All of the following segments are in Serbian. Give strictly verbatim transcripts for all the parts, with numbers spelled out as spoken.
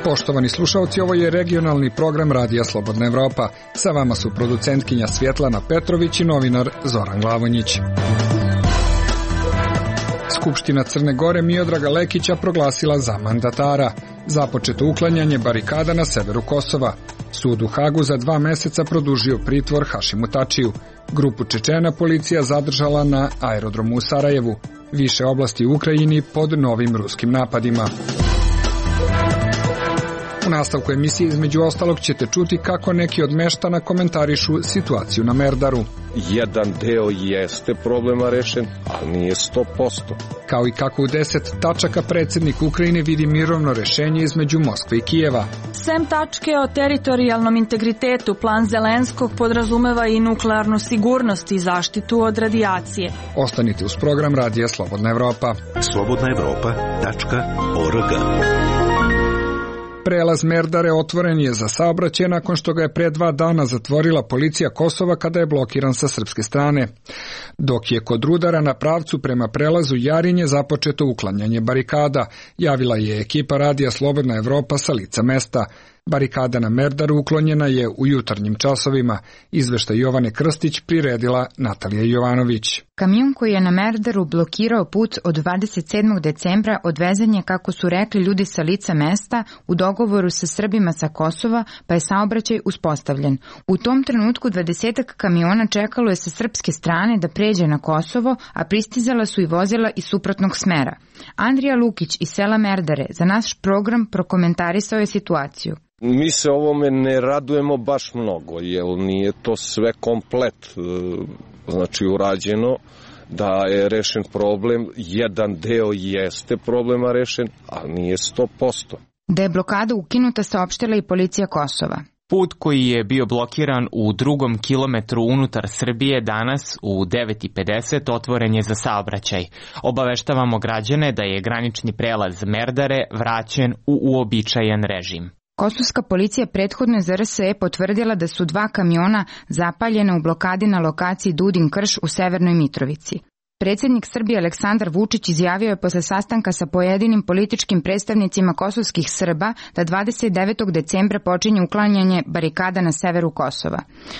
Poštovani slušalci, ovo je regionalni program Radija Slobodna Evropa. Sa vama su producentkinja Svjetlana Petrović i novinar Zoran Glavonjić. Skupština Crne Gore Miodraga Lekića proglasila za mandatara. Započeto uklanjanje barikada na severu Kosova. Sud u Hagu za dva meseca produžio pritvor Hašimu Tačiju. Grupu Čečena policija zadržala na aerodromu u Sarajevu. Više oblasti u Ukrajini pod novim ruskim napadima. U nastavku emisije između ostalog ćete čuti kako neki od meštana komentarišu situaciju na Merdaru. Jedan deo jeste problema rešen, ali nije sto posto. Kao i kako u deset tačaka predsjednik Ukrajine vidi mirovno rešenje između Moskve i Kijeva. Sem tačke o teritorijalnom integritetu, plan Zelenskog podrazumeva i nuklearnu sigurnost i zaštitu od radijacije. Ostanite uz program Radija Slobodna Evropa. slobodna evropa tačka org. Prelaz Merdare otvoren je za saobraćaj nakon što ga je pre dva dana zatvorila policija Kosova kada je blokiran sa srpske strane. Dok je kod Rudara na pravcu prema prelazu Jarinje započeto uklanjanje barikada, javila je ekipa Radija Slobodna Evropa sa lica mesta. Barikada na Merdaru uklonjena je u jutarnjim časovima. Izveštaj Jovane Krstić priredila Natalija Jovanović. Kamion koji je na Merdaru blokirao put od dvadeset sedmog decembra odvezan je, kako su rekli ljudi sa lica mesta, u dogovoru sa Srbima sa Kosova, pa je saobraćaj uspostavljen. U tom trenutku dvadesetak kamiona čekalo je sa srpske strane da pređe na Kosovo, a pristizala su i vozila iz suprotnog smera. Andrija Lukić iz sela Merdare za naš program prokomentarisao je situaciju. Mi se ovome ne radujemo baš mnogo, jer nije to sve komplet, znači urađeno, da je rešen problem. Jedan deo jeste problema rešen, ali nije sto posto. Da je blokada ukinuta, saopštila i policija Kosova. Put koji je bio blokiran u drugom kilometru unutar Srbije danas u devet i pedeset otvoren je za saobraćaj. Obaveštavamo građane da je granični prelaz Merdare vraćen u uobičajen režim. Kosovska policija prethodno je za R S E potvrdila da su dva kamiona zapaljena u blokadi na lokaciji Dudin Krš u Severnoj Mitrovici. Predsjednik Srbije Aleksandar Vučić izjavio je posle sastanka sa pojedinim političkim predstavnicima kosovskih Srba da dvadeset devetog decembra počinje uklanjanje barikada na severu Kosova.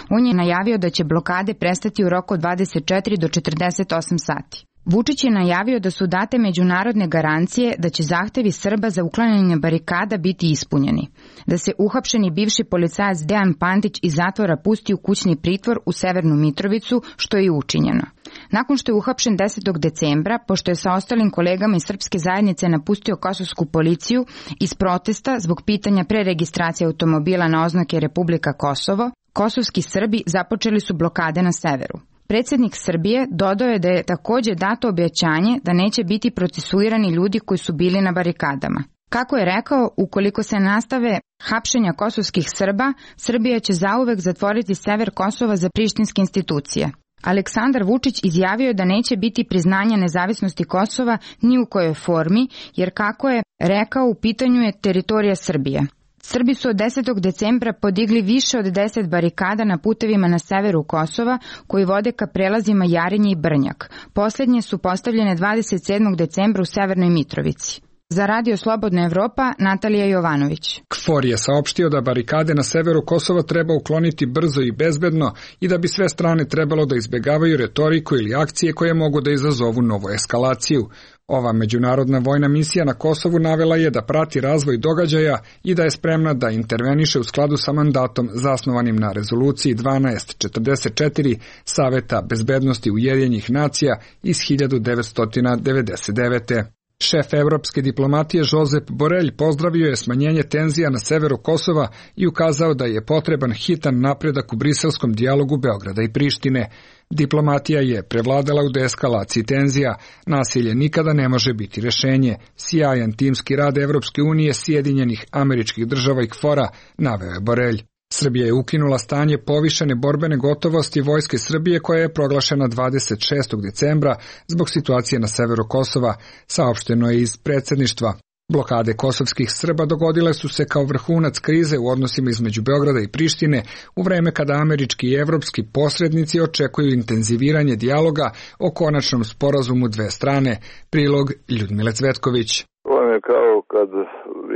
On je najavio da će blokade prestati u roku od dvadeset četiri do četrdeset osam sati. Vučić je najavio da su date međunarodne garancije da će zahtevi Srba za uklanjanje barikada biti ispunjeni, da se uhapšeni bivši policajac Dejan Pantić iz zatvora pusti u kućni pritvor u Severnu Mitrovicu, što je i učinjeno. Nakon što je uhapšen desetog decembra, pošto je sa ostalim kolegama iz srpske zajednice napustio kosovsku policiju iz protesta zbog pitanja preregistracije automobila na oznake Republika Kosovo, kosovski Srbi započeli su blokade na severu. Predsjednik Srbije dodao je da je također dato obećanje da neće biti procesuirani ljudi koji su bili na barikadama. Kako je rekao, ukoliko se nastave hapšenja kosovskih Srba, Srbija će zauvek zatvoriti sever Kosova za prištinske institucije. Aleksandar Vučić izjavio je da neće biti priznanja nezavisnosti Kosova ni u kojoj formi, jer kako je rekao, u pitanju je teritorija Srbije. Srbi su od desetog decembra podigli više od deset barikada na putevima na severu Kosova koji vode ka prelazima Jarinje i Brnjak. Posljednje su postavljene dvadeset sedmog decembra u Severnoj Mitrovici. Za Radio Slobodna Evropa, Natalija Jovanović. KFOR je saopštio da barikade na severu Kosova treba ukloniti brzo i bezbedno i da bi sve strane trebalo da izbjegavaju retoriku ili akcije koje mogu da izazovu novu eskalaciju. Ova međunarodna vojna misija na Kosovu navela je da prati razvoj događaja i da je spremna da interveniše u skladu sa mandatom zasnovanim na rezoluciji dvanaest četrdeset četiri Saveta bezbednosti Ujedinjenih nacija iz hiljadu devetsto devedeset devete. Šef evropske diplomatije Josep Borelj pozdravio je smanjenje tenzija na severu Kosova i ukazao da je potreban hitan napredak u briselskom dijalogu Beograda i Prištine. Diplomatija je prevladala u deeskalaciji tenzija. Nasilje nikada ne može biti rešenje. Sjajan timski rad Evropske unije, Sjedinjenih Američkih Država i KFOR-a, naveo je Borelj. Srbija je ukinula stanje povišene borbene gotovosti Vojske Srbije koja je proglašena dvadeset šestog decembra zbog situacije na severu Kosova, saopšteno je iz predsjedništva. Blokade kosovskih Srba dogodile su se kao vrhunac krize u odnosima između Beograda i Prištine u vreme kada američki i evropski posrednici očekuju intenziviranje dijaloga o konačnom sporazumu dve strane. Prilog Ljudmile Cvetković. To je kao kad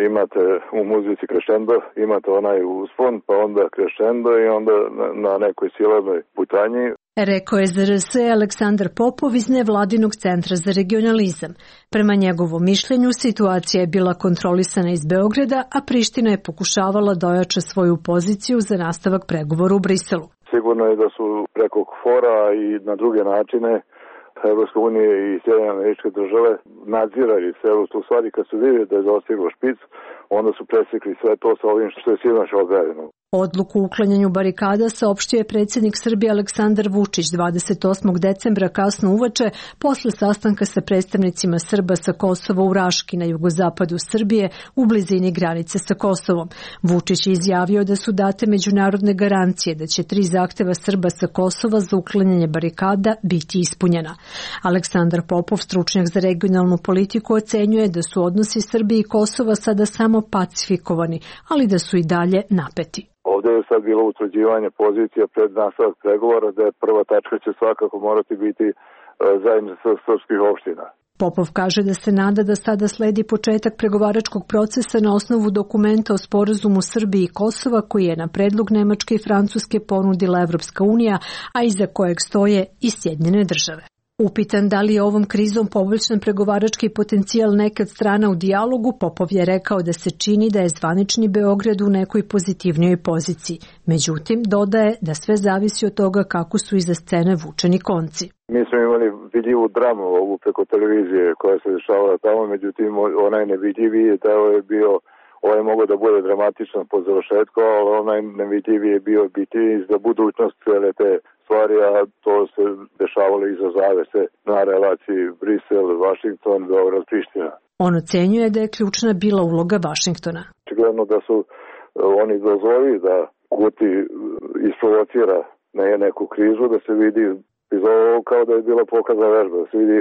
imate u muzici krešendo, imate onaj uspon, pa onda krešendo i onda na nekoj silovnoj putanji. Rekao je Z R S Aleksandar Popov iz Nevladinog centra za regionalizam. Prema njegovom mišljenju, situacija je bila kontrolisana iz Beograda, a Priština je pokušavala da ojača svoju poziciju za nastavak pregovora u Briselu. Sigurno je da su preko fora i na druge načine Evropska unija i Sjedinjene Američke Države nadzirali celu tu stvari. Kad su vidjeli da je dostiglo špic, onda su presekli sve to sa ovim što je sinoć objavljeno. Odluku o uklanjanju barikada saopštio je predsjednik Srbije Aleksandar Vučić dvadeset osmog decembra kasno uveče posle sastanka sa predstavnicima Srba sa Kosova u Raški na jugozapadu Srbije u blizini granice sa Kosovom. Vučić je izjavio da su date međunarodne garancije da će tri zahteva Srba sa Kosova za uklanjanje barikada biti ispunjena. Aleksandar Popov, stručnjak za regionalnu politiku, ocenjuje da su odnosi Srbije i Kosova sada samo pacifikovani, ali da su i dalje napeti. Ovdje je sad bilo utvrđivanje pozicija pred nastavak pregovora, da je prva tačka će svakako morati biti zajednica srpskih opština. Popov kaže da se nada da sada sledi početak pregovaračkog procesa na osnovu dokumenta o sporazumu Srbije i Kosova koji je na predlog Nemačke i Francuske ponudila Evropska unija, a iza kojeg stoje i Sjedinjene države. Upitan da li je ovom krizom poboljšan pregovarački potencijal neke od strana u dijalogu, Popov je rekao da se čini da je zvanični Beograd u nekoj pozitivnijoj poziciji. Međutim, dodaje da sve zavisi od toga kako su iza scene vučeni konci. Mi smo imali vidljivu dramu ovu preko televizije koja se dešavala tamo, međutim onaj nevidljivi deo je bio, ovaj je mogao da bude dramatičan po završetku, ali onaj nevidljivi je bio biti za budućnost cijele te stvari, a to se dešavalo iza zavese na relaciji Brisel, Vašington, Beograd, Priština. On ocenjuje da je ključna bila uloga Vašingtona. Očigledno da su oni dozvolili da Kurti isprovocira neku krizu, da se vidi iz ovo kao da je bila pokazna vežba, da se vidi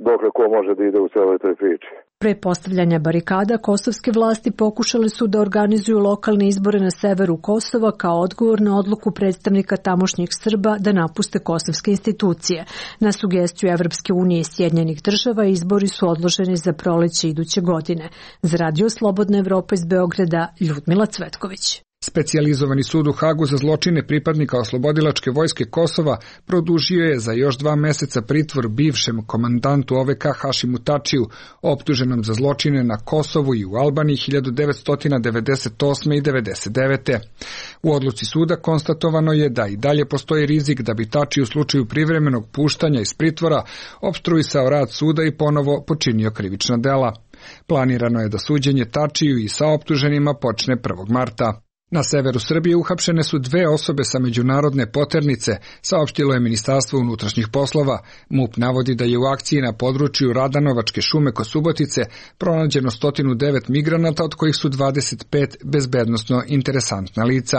dokle ko može da ide u celoj toj priči. Pre postavljanja barikada, kosovske vlasti pokušale su da organizuju lokalne izbore na severu Kosova kao odgovor na odluku predstavnika tamošnjih Srba da napuste kosovske institucije. Na sugestiju Evropske unije i Sjedinjenih država izbori su odloženi za proleće iduće godine. Za Radio Slobodna Evropa iz Beograda, Ljudmila Cvetković. Specijalizovani sud u Hagu za zločine pripadnika oslobodilačke vojske Kosova produžio je za još dva meseca pritvor bivšem komandantu O V K Hašimu Tačiju, optuženom za zločine na Kosovu i u Albaniji hiljadu devetsto devedeset osme. i devedeset devete. U odluci suda konstatovano je da i dalje postoji rizik da bi Tačiju u slučaju privremenog puštanja iz pritvora opstruisao rad suda i ponovo počinio krivična dela. Planirano je da suđenje Tačiju i sa optuženima počne prvog marta. Na severu Srbije uhapšene su dve osobe sa međunarodne poternice, saopštilo je Ministarstvo unutrašnjih poslova. MUP navodi da je u akciji na području Radanovačke šume kod Subotice pronađeno sto devet migranata, od kojih su dvadeset pet bezbednosno interesantna lica.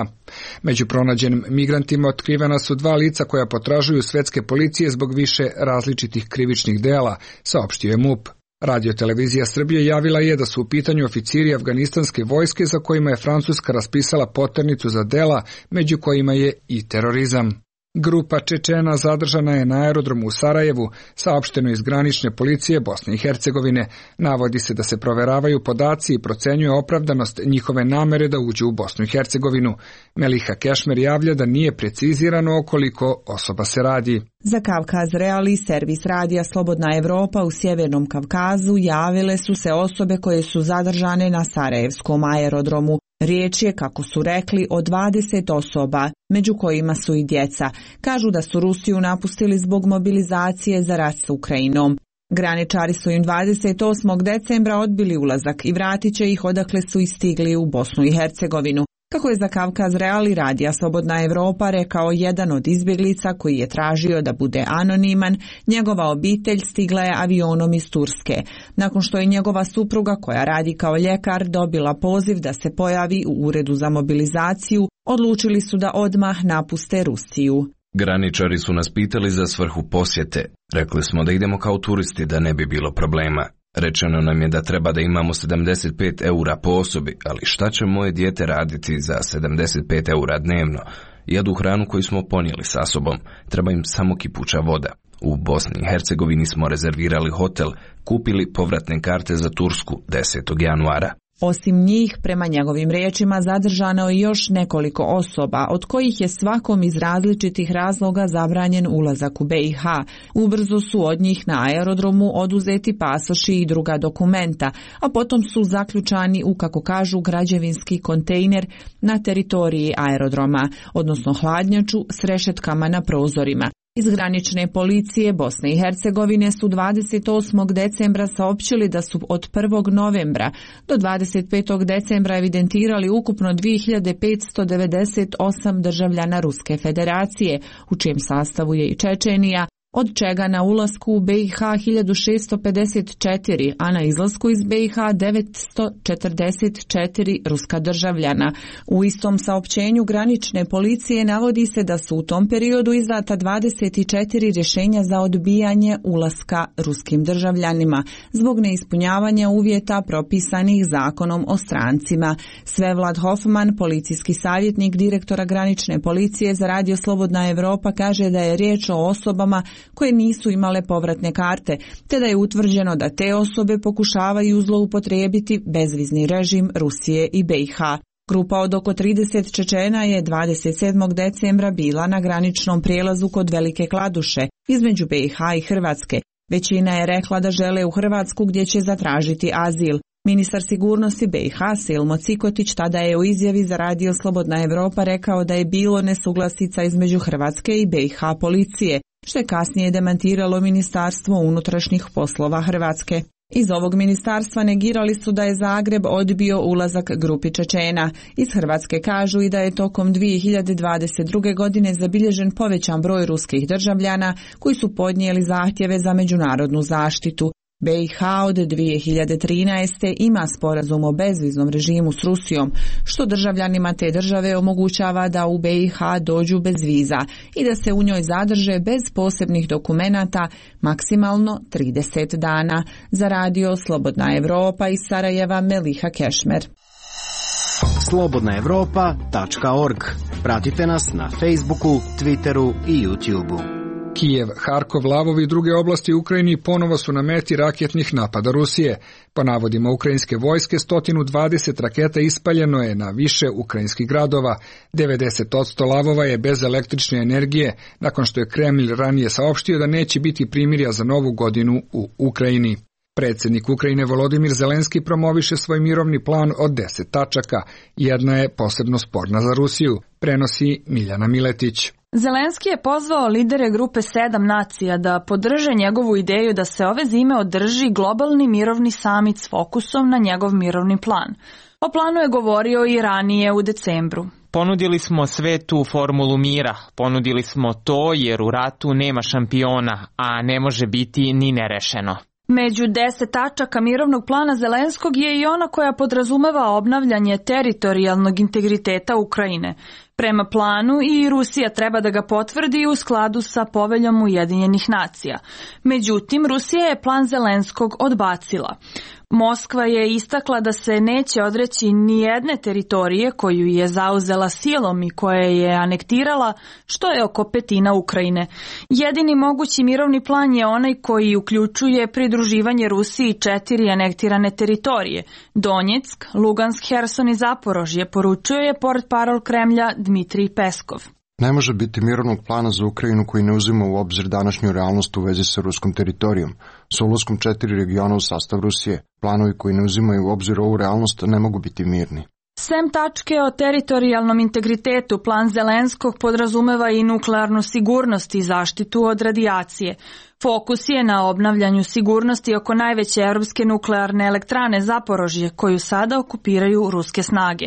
Među pronađenim migrantima otkrivena su dva lica koja potražuju svetske policije zbog više različitih krivičnih dela, saopštio je MUP. Radio-televizija Srbije javila je da su u pitanju oficiri afganistanske vojske za kojima je Francuska raspisala poternicu za dela, među kojima je i terorizam. Grupa Čečena zadržana je na aerodromu u Sarajevu, saopšteno iz granične policije Bosne i Hercegovine. Navodi se da se proveravaju podaci i procenjuje opravdanost njihove namere da uđu u Bosnu i Hercegovinu. Meliha Kešmer javlja da nije precizirano o koliko osoba se radi. Za Kavkaz Real i servis radija Slobodna Evropa u Sjevernom Kavkazu javile su se osobe koje su zadržane na Sarajevskom aerodromu. Riječ je, kako su rekli, o dvadeset osoba, među kojima su i djeca. Kažu da su Rusiju napustili zbog mobilizacije za rat s Ukrajinom. Graničari su im dvadeset osmog decembra odbili ulazak i vratit će ih odakle su istigli u Bosnu i Hercegovinu. Kako je za Kavkaz Real i radija Slobodna Evropa rekao jedan od izbjeglica koji je tražio da bude anoniman, njegova obitelj stigla je avionom iz Turske. Nakon što je njegova supruga, koja radi kao ljekar, dobila poziv da se pojavi u uredu za mobilizaciju, odlučili su da odmah napuste Rusiju. Graničari su nas pitali za svrhu posjete. Rekli smo da idemo kao turisti, da ne bi bilo problema. Rečeno nam je da treba da imamo sedamdeset pet eura po osobi, ali šta će moje dijete raditi za sedamdeset pet eura dnevno? Jedu hranu koju smo ponijeli sa sobom, treba im samo kipuća voda. U Bosni i Hercegovini smo rezervirali hotel, kupili povratne karte za Tursku desetog januara. Osim njih, prema njegovim riječima, zadržano je još nekoliko osoba, od kojih je svakom iz različitih razloga zabranjen ulazak u B i H. Ubrzo su od njih na aerodromu oduzeti pasoši i druga dokumenta, a potom su zaključani u, kako kažu, građevinski kontejner na teritoriji aerodroma, odnosno hladnjaču s rešetkama na prozorima. Iz granične policije Bosne i Hercegovine su dvadeset osmog decembra saopćili da su od prvog novembra do dvadeset petog decembra evidentirali ukupno dvije hiljade petsto devedeset osam državljana Ruske federacije, u čijem sastavu je i Čečenija, od čega na ulasku u B i H hiljadu šessto pedeset četiri, a na izlasku iz B i H devetsto četrdeset četiri ruska državljana. U istom saopćenju granične policije navodi se da su u tom periodu izdata dvadeset četiri rješenja za odbijanje ulaska ruskim državljanima zbog neispunjavanja uvjeta propisanih zakonom o strancima. Svevlad Hoffman, policijski savjetnik direktora granične policije za Radio Slobodna Evropa, kaže da je riječ o osobama koje nisu imale povratne karte, te da je utvrđeno da te osobe pokušavaju zloupotrijebiti bezvizni režim Rusije i B i H. Grupa od oko trideset Čečena je dvadeset sedmog decembra bila na graničnom prijelazu kod Velike Kladuše između B i H i Hrvatske. Većina je rekla da žele u Hrvatsku gdje će zatražiti azil. Ministar sigurnosti B i H Silmo Cikotić tada je u izjavi za Radio Slobodna Evropa rekao da je bilo nesuglasica između Hrvatske i B i H policije, što je kasnije demantiralo Ministarstvo unutrašnjih poslova Hrvatske. Iz ovog ministarstva negirali su da je Zagreb odbio ulazak grupi Čečena. Iz Hrvatske kažu i da je tokom dvije hiljade dvadeset druge. godine zabilježen povećan broj ruskih državljana koji su podnijeli zahtjeve za međunarodnu zaštitu. B i H od dvije hiljade trinaeste. ima sporazum o bezviznom režimu s Rusijom, što državljanima te države omogućava da u B i H dođu bez viza i da se u njoj zadrže bez posebnih dokumenata maksimalno trideset dana. Za Radio Slobodna Evropa iz Sarajeva, Meliha Kešmer. slobodna evropa tačka org. Pratite nas na Facebooku, Twitteru i YouTubeu. Kijev, Harkov, Lvov i druge oblasti u Ukrajini ponovo su na meti raketnih napada Rusije. Po navodima ukrajinske vojske, sto dvadeset raketa ispaljeno je na više ukrajinskih gradova. devedeset posto Lvova je bez električne energije, nakon što je Kremlj ranije saopštio da neće biti primirja za novu godinu u Ukrajini. Predsjednik Ukrajine Volodimir Zelenski promoviše svoj mirovni plan od deset tačaka. Jedna je posebno sporna za Rusiju, prenosi Miljana Miletić. Zelenski je pozvao lidere grupe sedam nacija da podrže njegovu ideju da se ove zime održi globalni mirovni samit s fokusom na njegov mirovni plan. O planu je govorio i ranije u decembru. Ponudili smo svetu formulu mira, ponudili smo to jer u ratu nema šampiona, a ne može biti ni nerešeno. Među deset tačaka mirovnog plana Zelenskog je i ona koja podrazumeva obnavljanje teritorijalnog integriteta Ukrajine. Prema planu i Rusija treba da ga potvrdi u skladu sa poveljom Ujedinjenih nacija. Međutim, Rusija je plan Zelenskog odbacila. Moskva je istakla da se neće odreći ni jedne teritorije koju je zauzela silom i koje je anektirala, što je oko petina Ukrajine. Jedini mogući mirovni plan je onaj koji uključuje pridruživanje Rusiji četiri anektirane teritorije: Donjeck, Lugansk, Herson i Zaporožje, poručuje je portparol Kremlja Dmitrij Peskov. Ne može biti mirovnog plana za Ukrajinu koji ne uzima u obzir današnju realnost u vezi sa ruskom teritorijom, sa ulaskom četiri regiona u sastav Rusije. Planovi koji ne uzimaju u obzir ovu realnost ne mogu biti mirni. Sem tačke o teritorijalnom integritetu, plan Zelenskog podrazumeva i nuklearnu sigurnost i zaštitu od radijacije. Fokus je na obnavljanju sigurnosti oko najveće europske nuklearne elektrane Zaporožje, koju sada okupiraju ruske snage.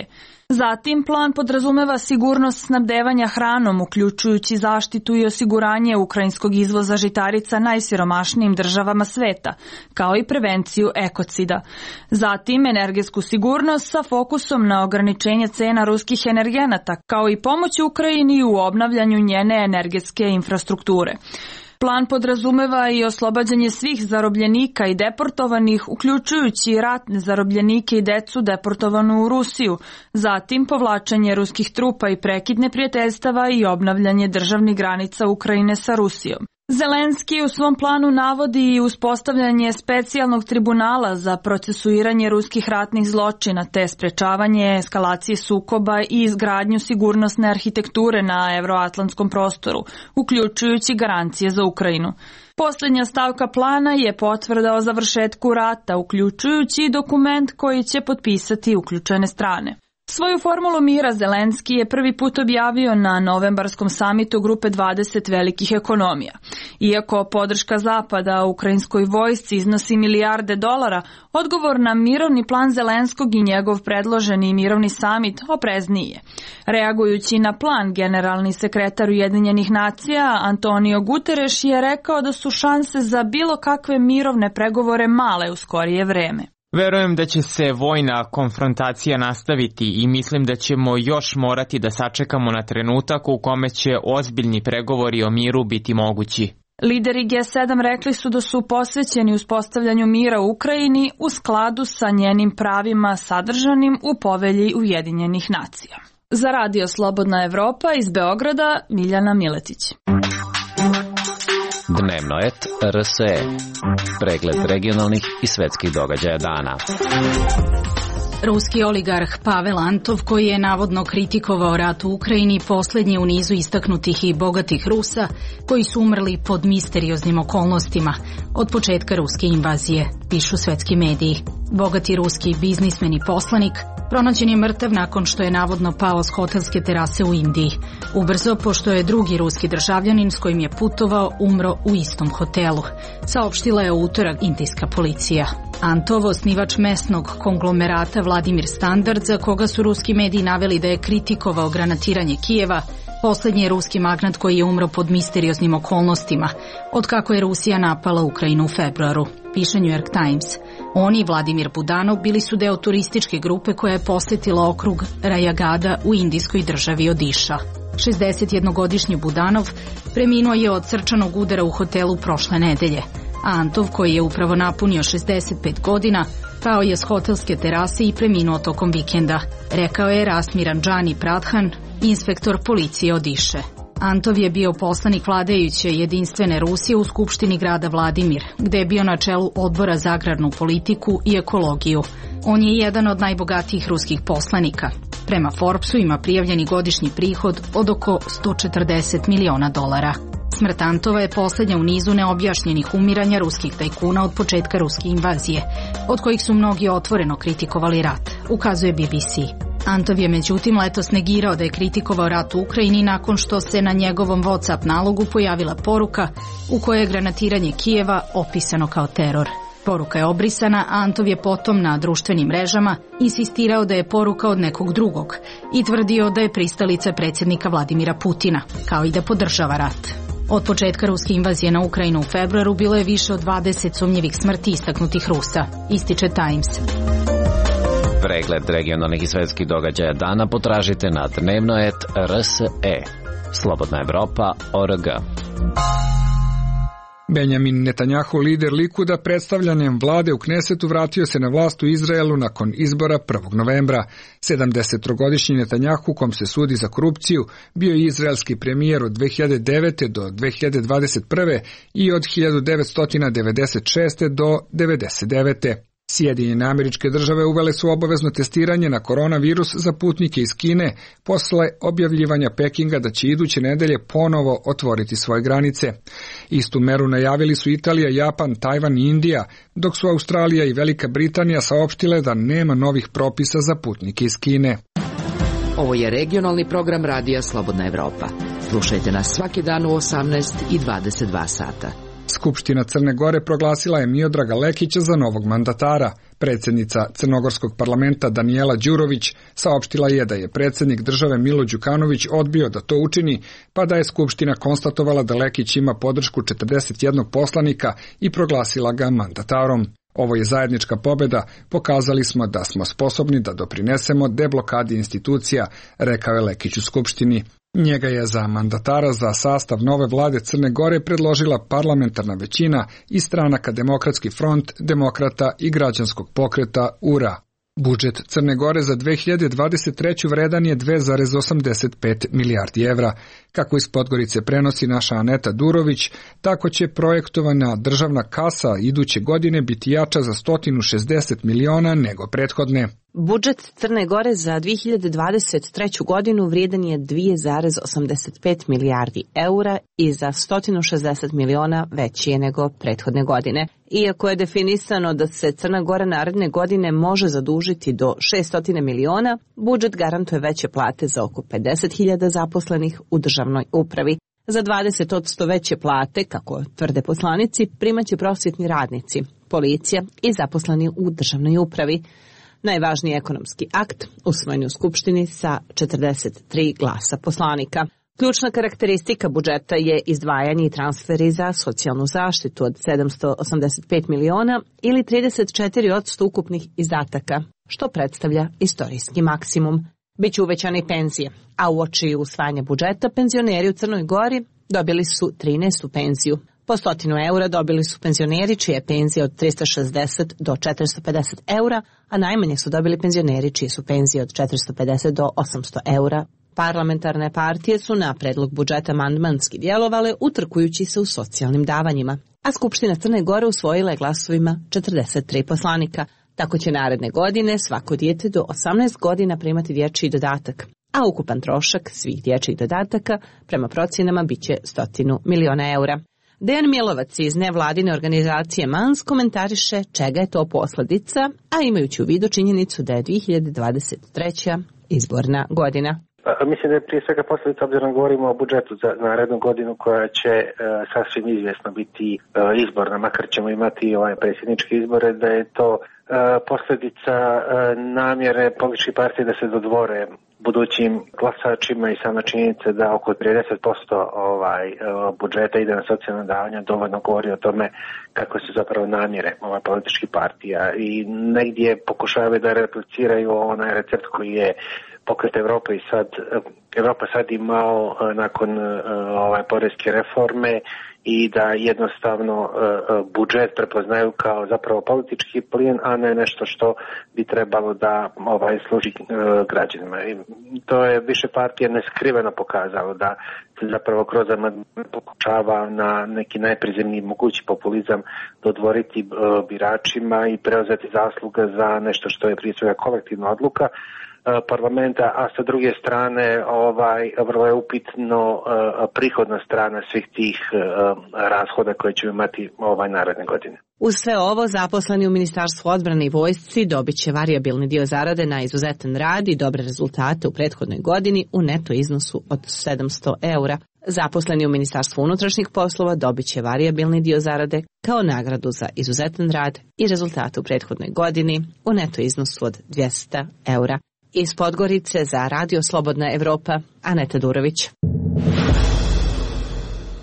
Zatim, plan podrazumeva sigurnost snabdevanja hranom, uključujući zaštitu i osiguranje ukrajinskog izvoza žitarica najsiromašnijim državama sveta, kao i prevenciju ekocida. Zatim, energetsku sigurnost sa fokusom na ograničenje cena ruskih energenata, kao i pomoć Ukrajini u obnavljanju njene energetske infrastrukture. Plan podrazumeva i oslobađanje svih zarobljenika i deportovanih, uključujući i ratne zarobljenike i decu deportovanu u Rusiju, zatim povlačenje ruskih trupa i prekid neprijateljstava i obnavljanje državnih granica Ukrajine sa Rusijom. Zelenski u svom planu navodi i uspostavljanje specijalnog tribunala za procesuiranje ruskih ratnih zločina te sprečavanje eskalacije sukoba i izgradnju sigurnosne arhitekture na evroatlantskom prostoru, uključujući garancije za Ukrajinu. Posljednja stavka plana je potvrda o završetku rata, uključujući i dokument koji će potpisati uključene strane. Svoju formulu mira Zelenski je prvi put objavio na novembarskom samitu grupe dvadeset velikih ekonomija. Iako podrška Zapada ukrajinskoj vojsci iznosi milijarde dolara, odgovor na mirovni plan Zelenskog i njegov predloženi mirovni samit oprezniji je. Reagujući na plan, generalni sekretar Ujedinjenih nacija Antonio Guterres je rekao da su šanse za bilo kakve mirovne pregovore male u skorije vreme. Verujem da će se vojna konfrontacija nastaviti i mislim da ćemo još morati da sačekamo na trenutak u kome će ozbiljni pregovori o miru biti mogući. Lideri G sedam rekli su da su posvećeni uspostavljanju mira u Ukrajini u skladu sa njenim pravima sadržanim u povelji Ujedinjenih nacija. Za Radio Slobodna Evropa iz Beograda, Miljana Miletić. Dnevno et R S E. Pregled regionalnih i svetskih događaja dana. Ruski oligarh Pavel Antov, koji je navodno kritikovao rat u Ukrajini, posljednji u nizu istaknutih i bogatih Rusa koji su umrli pod misterioznim okolnostima od početka ruske invazije, pišu svetski mediji. Bogati ruski biznismen i poslanik pronađen je mrtav nakon što je navodno pao s hotelske terase u Indiji. Ubrzo, pošto je drugi ruski državljanin s kojim je putovao umro u istom hotelu, saopštila je u utorak indijska policija. Antov, osnivač mesnog konglomerata Vladimir Standard, za koga su ruski mediji naveli da je kritikovao granatiranje Kijeva, posljednji je ruski magnat koji je umro pod misterioznim okolnostima, od kako je Rusija napala Ukrajinu u februaru, piše New York Times. On i Vladimir Budanov bili su deo turističke grupe koja je posjetila okrug Rajagada u indijskoj državi Odiša. šezdesetjednogodišnji Budanov preminuo je od srčanog udara u hotelu prošle nedelje, a Antov, koji je upravo napunio šezdeset pet godina, pao je s hotelske terase i preminuo tokom vikenda, rekao je Rastmiran Džani Pradhan, inspektor policije Odiše. Antov je bio poslanik vladajuće Jedinstvene Rusije u Skupštini grada Vladimir, gde je bio na čelu odbora za agrarnu politiku i ekologiju. On je jedan od najbogatijih ruskih poslanika. Prema Forbesu ima prijavljeni godišnji prihod od oko sto četrdeset miliona dolara. Smrt Antova je posljednja u nizu neobjašnjenih umiranja ruskih tajkuna od početka ruske invazije, od kojih su mnogi otvoreno kritikovali rat, ukazuje B B C. Antov je međutim letos negirao da je kritikovao rat u Ukrajini nakon što se na njegovom WhatsApp nalogu pojavila poruka u kojoj je granatiranje Kijeva opisano kao teror. Poruka je obrisana, a Antov je potom na društvenim mrežama insistirao da je poruka od nekog drugog i tvrdio da je pristalica predsjednika Vladimira Putina, kao i da podržava rat. Od početka ruske invazije na Ukrajinu u februaru bilo je više od dvadeset sumnjivih smrti istaknutih Rusa, ističe Times. Pregled regionalnih i svetskih događaja dana potražite na dnevno et R S E. Slobodna Evropa, O R G. Benjamin Netanjahu, lider Likuda, predstavljanjem vlade u Knesetu vratio se na vlast u Izraelu nakon izbora prvog novembra. sedamdesettrogodišnji Netanjahu, kom se sudi za korupciju, bio je izraelski premijer od dve hiljade devete do dve hiljade dvadeset prve i od hiljadu devetsto devedeset šeste do devedeset devete Sjedinjene Američke Države uvele su obavezno testiranje na koronavirus za putnike iz Kine posle objavljivanja Pekinga da će iduće nedelje ponovo otvoriti svoje granice. Istu meru najavili su Italija, Japan, Tajvan i Indija, dok su Australija i Velika Britanija saopštile da nema novih propisa za putnike iz Kine. Ovo je regionalni program Radija Slobodna Evropa. Slušajte nas svaki dan u osamnaest i dvadeset dva sata. Skupština Crne Gore proglasila je Miodraga Lekića za novog mandatara. Predsjednica Crnogorskog parlamenta Danijela Đurović saopštila je da je predsjednik države Milo Đukanović odbio da to učini, pa da je Skupština konstatovala da Lekić ima podršku četrdeset jednog poslanika i proglasila ga mandatarom. Ovo je zajednička pobjeda, pokazali smo da smo sposobni da doprinesemo deblokadi institucija, rekao je Lekić u Skupštini. Njega je za mandatara za sastav nove vlade Crne Gore predložila parlamentarna većina iz stranaka Demokratski front, Demokrata i Građanskog pokreta U R A. Budžet Crne Gore za dve hiljade dvadeset treću vredan je dve zarez osamdeset pet milijardi evra. Kako iz Podgorice prenosi naša Aneta Durović, tako će projektovana državna kasa iduće godine biti jača za sto šezdeset miliona nego prethodne. Budžet Crne Gore za dve hiljade dvadeset treću godinu vrijedan je dve zarez osamdeset pet milijardi eura i za sto šezdeset miliona veći je nego prethodne godine. Iako je definisano da se Crna Gora naredne godine može zadužiti do šessto miliona, budžet garantuje veće plate za oko pedeset hiljada zaposlenih u državnoj upravi. Za dvadeset posto veće plate, kako tvrde poslanici, primaće prosvjetni radnici, policija i zaposleni u državnoj upravi. Najvažniji ekonomski akt usvojen u Skupštini sa četrdeset tri glasa poslanika. Ključna karakteristika budžeta je izdvajanje i transferi za socijalnu zaštitu od sedamsto osamdeset pet miliona ili trideset četiri posto ukupnih izdataka, što predstavlja istorijski maksimum. Biće uvećane i penzije, a uoči usvajanja budžeta penzioneri u Crnoj Gori dobili su trinaestu penziju. Po stotinu eura dobili su penzioneri čije je penzija od trista šezdeset do četiristo pedeset eura, a najmanje su dobili penzioneri čije su penzije od četiristo pedeset do osamsto eura. Parlamentarne partije su na predlog budžeta amandmanski djelovale utrkujući se u socijalnim davanjima, a Skupština Crne Gore usvojila je glasovima četrdeset tri poslanika. Tako će naredne godine svako dijete do osamnaest godina primati dječji dodatak, a ukupan trošak svih dječjih dodataka prema procjenama biće stotinu miliona eura. Dejan Milovac iz nevladine organizacije Mans komentariše čega je to posljedica, a imajući u vidu činjenicu da je dve hiljade dvadeset treća izborna godina. Mislim da je prije svega posljedica, obzirom govorimo o budžetu za narednu godinu koja će e, sasvim izvjesno biti e, izborna, makar ćemo imati ovaj predsjedničke izbore, da je to e, posljedica e, namjere političkih partija da se dodvore budućim glasačima i sama činjenica da oko trideset posto ovaj, e, budžeta ide na socijalna davanja dovoljno govori o tome kako su zapravo namjere ovaj, političkih partija i negdje pokušavaju da repliciraju onaj recept koji je Pokret Evrope i sad, Evropa sad imao nakon ovaj, poreske reforme i da jednostavno budžet prepoznaju kao zapravo politički plijen, a ne nešto što bi trebalo da ovaj, služi građanima. I to je više partija neskriveno pokazalo da se zapravo kroz amandman pokušava na neki najprizemniji mogući populizam dodvoriti biračima i preuzeti zasluga za nešto što je prije svega kolektivna odluka parlamenta, a sa druge strane ovaj vrlo je upitno uh, prihodna strana svih tih uh, rashoda koje će imati ovaj naredne godine. Uz sve ovo, zaposleni u Ministarstvu odbrane i vojsci dobit će varijabilni dio zarade na izuzetan rad i dobre rezultate u prethodnoj godini u neto iznosu od sedamsto eura. Zaposleni u Ministarstvu unutrašnjih poslova dobit će varijabilni dio zarade kao nagradu za izuzetan rad i rezultate u prethodnoj godini u neto iznosu od dvjesto eura. Iz Podgorice za Radio Slobodna Evropa, Aneta Durović.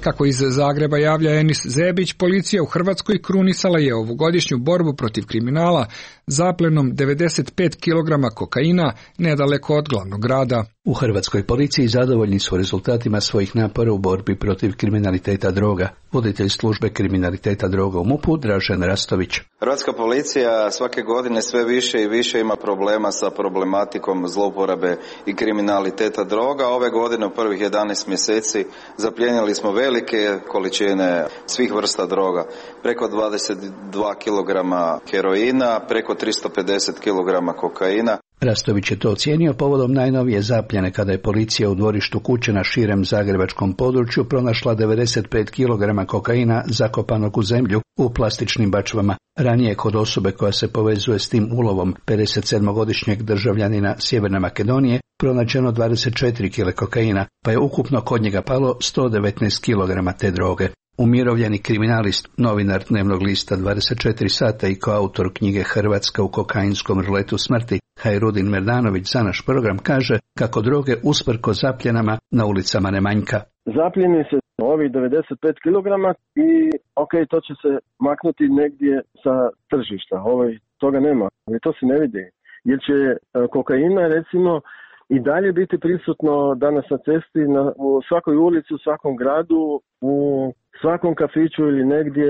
Kako iz Zagreba javlja Enis Zebić, policija u Hrvatskoj krunisala je ovogodišnju borbu protiv kriminala zaplenom devedeset pet kilograma kokaina nedaleko od glavnog grada. U hrvatskoj policiji zadovoljni su rezultatima svojih napora u borbi protiv kriminaliteta droga. Voditelj službe kriminaliteta droga u MUP-u Dražen Rastović. Hrvatska policija svake godine sve više i više ima problema sa problematikom zlouporabe i kriminaliteta droga. Ove godine u prvih jedanaest mjeseci zaplijenili smo velike količine svih vrsta droga. Preko dvadeset dva kilograma heroina, preko tristo pedeset kilograma kokaina. Rastović je to ocijenio povodom najnovije zapljene kada je policija u dvorištu kuće na širem zagrebačkom području pronašla devedeset pet kilograma kokaina zakopanog u zemlju u plastičnim bačvama. Ranije kod osobe koja se povezuje s tim ulovom pedeset sedmogodišnjeg državljanina Sjeverne Makedonije pronađeno dvadeset četiri kilograma kokaina, pa je ukupno kod njega palo sto devetnaest kilograma te droge. Umirovljeni kriminalist, novinar dnevnog lista dvadeset četiri sata i koautor knjige Hrvatska u kokainskom ruletu smrti, Hajrudin Merdanović za naš program kaže kako droge usprko zapljenama na ulicama ne manjka. Zapljeni se ovih devedeset pet kilograma i ok, to će se maknuti negdje sa tržišta. Ovaj, toga nema, ali to se ne vidi. Jer će kokaina recimo i dalje biti prisutno danas na cesti, na, u svakoj ulici, u svakom gradu, u svakom kafiću ili negdje,